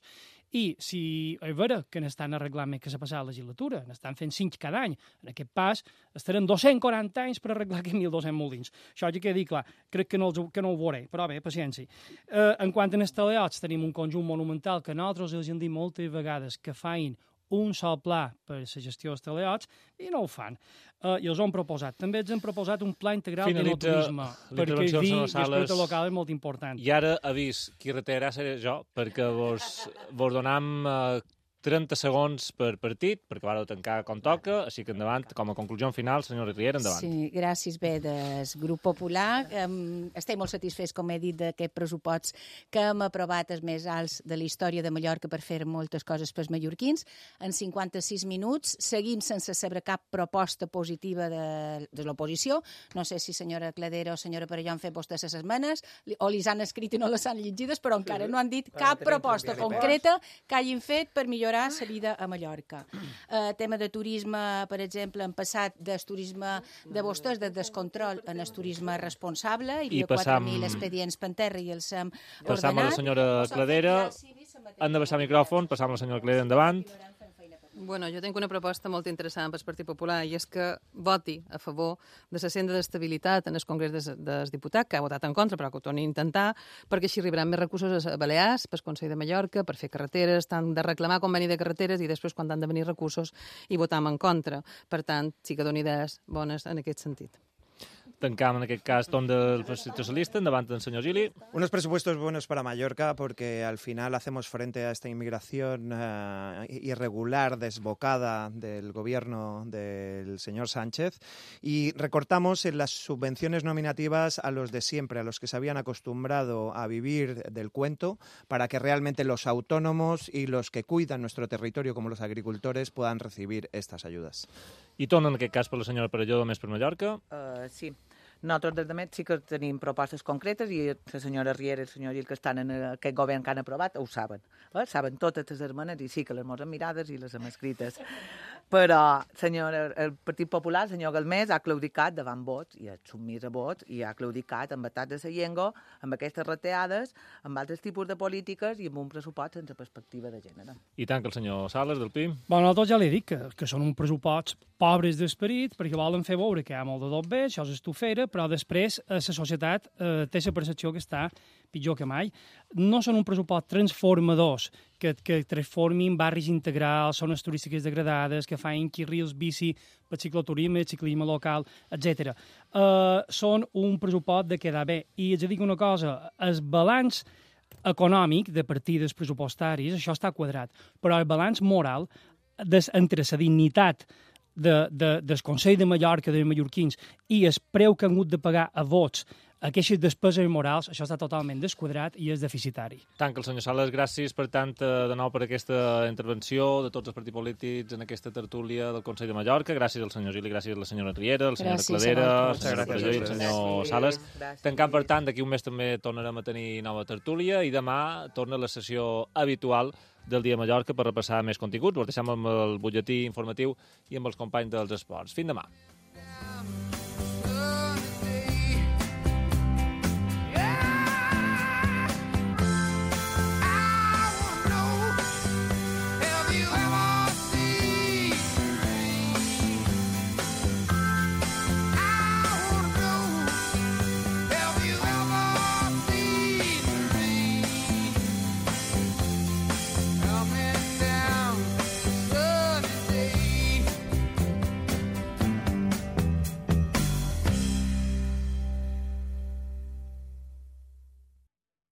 I si és vera que n'estan arreglant més que la passada legislatura, n'estan fent cinc cada any, en aquest pas estarem dos-cents quaranta anys per arreglar aquests mil dos-cents molins. Això ja queda dit clar, crec que no, els, que no ho veuré, però bé, paciència. Eh, en quant a els teleots, tenim un conjunt monumental que nosaltres els hem dit moltes vegades que fain un sol pla per la gestió dels teleots i no ho fan. Uh, I els han proposat. També ens han proposat un pla integral de turisme, perquè el vi i l'esperit local és molt important. I ara avís, qui retirarà seré jo, perquè vos, vos donam uh, trenta segons per partit, perquè vareu tancar com toca, així que endavant, com a conclusió final, senyora Riera, endavant. Sí, gràcies. Bé, del grup popular, um, estem molt satisfets, com he dit, d'aquest pressupost que hem aprovat els més alts de la història de Mallorca per fer moltes coses pels mallorquins. En cinquanta-sis minuts seguim sense saber cap proposta positiva de, de l'oposició. No sé si senyora Cladera o senyora Perelló han fet vostès les esmenes o les han escrit i no les han llegides, però encara no han dit cap proposta concreta que hagin fet per millorar la vida a Mallorca. Uh, tema de turisme, per exemple, hem passat del turisme de vostès, de descontrol, en el turisme responsable, hi havia quatre mil expedients per terra i els hem ordenat. Passam a la senyora Cladera, han de baixar el micròfon, passam a la senyora Cladera endavant. Bueno, jo tinc una proposta molt interessant pel Partit Popular i és que voti a favor de la senda d'estabilitat en el Congrés dels, dels Diputats, que ha votat en contra, però que ho torni a intentar, perquè així arribaran més recursos a Balears, pel Consell de Mallorca, per fer carreteres, tant de reclamar conveni de carreteres i després quan han de venir recursos i votam en contra. Per tant, sí que doni idees bones en aquest sentit. Tancam en aquest cas torn del Partit Socialista, endavant del señor Gili. Unos presupuestos buenos para Mallorca porque al final hacemos frente a esta inmigración uh, irregular, desbocada del gobierno del señor Sánchez y recortamos en las subvenciones nominativas a los de siempre, a los que se habían acostumbrado a vivir del cuento para que realmente los autónomos y los que cuidan nuestro territorio como los agricultores puedan recibir estas ayudas. I torna en aquest cas per la senyora Perelló, més per Mallorca. Uh, sí. Nosaltres des de Met sí que tenim propostes concretes i la senyora Riera i el senyor Gil que estan en aquest govern que han aprovat ho saben. Eh? Saben totes les esmenes i sí que les mos hem mirades i les hem escrites. Però senyor, el Partit Popular, el senyor Galmés, ha claudicat davant vots, i ha submís a vots, i ha claudicat amb estat de la llengua, amb aquestes reteades, amb altres tipus de polítiques i amb un pressupost sense perspectiva de gènere. I tant que el senyor Sales, del P I M. Bon, nosaltres ja li dic que, que són un pressupost pobres d'esperit, perquè volen fer veure que hi ha molt de tot bé, això és estufera, però després eh, la societat eh, té la percepció que està pitjor que mai. No són un pressupost transformadors, que, que transformin barris integrals, zones turístiques degradades, que fan carrils bici per cicloturisme, ciclisme local, etcètera. Uh, són un pressupost de quedar bé. I haig de dir una cosa, el balanç econòmic de partides pressupostaris, això està quadrat, però el balanç moral des, entre la dignitat de, de, del Consell de Mallorca, dels mallorquins, i el preu que han hagut de pagar a vots aquestes despeses morals, això està totalment desquadrat i és deficitari. Tant que el senyor Sales, gràcies per tant de nou per aquesta intervenció de tots els partits polítics en aquesta tertúlia del Consell de Mallorca. Gràcies al senyor Gili, gràcies a la senyora Riera, a la senyora Cladera, a la senyora Pujol i al senyor Sales. Tancant, per tant, d'aquí un mes també tornarem a tenir nova tertúlia i demà torna la sessió habitual del Dia de Mallorca per repassar més continguts. Ho deixem amb el butlletí informatiu i amb els companys dels esports. Fins demà.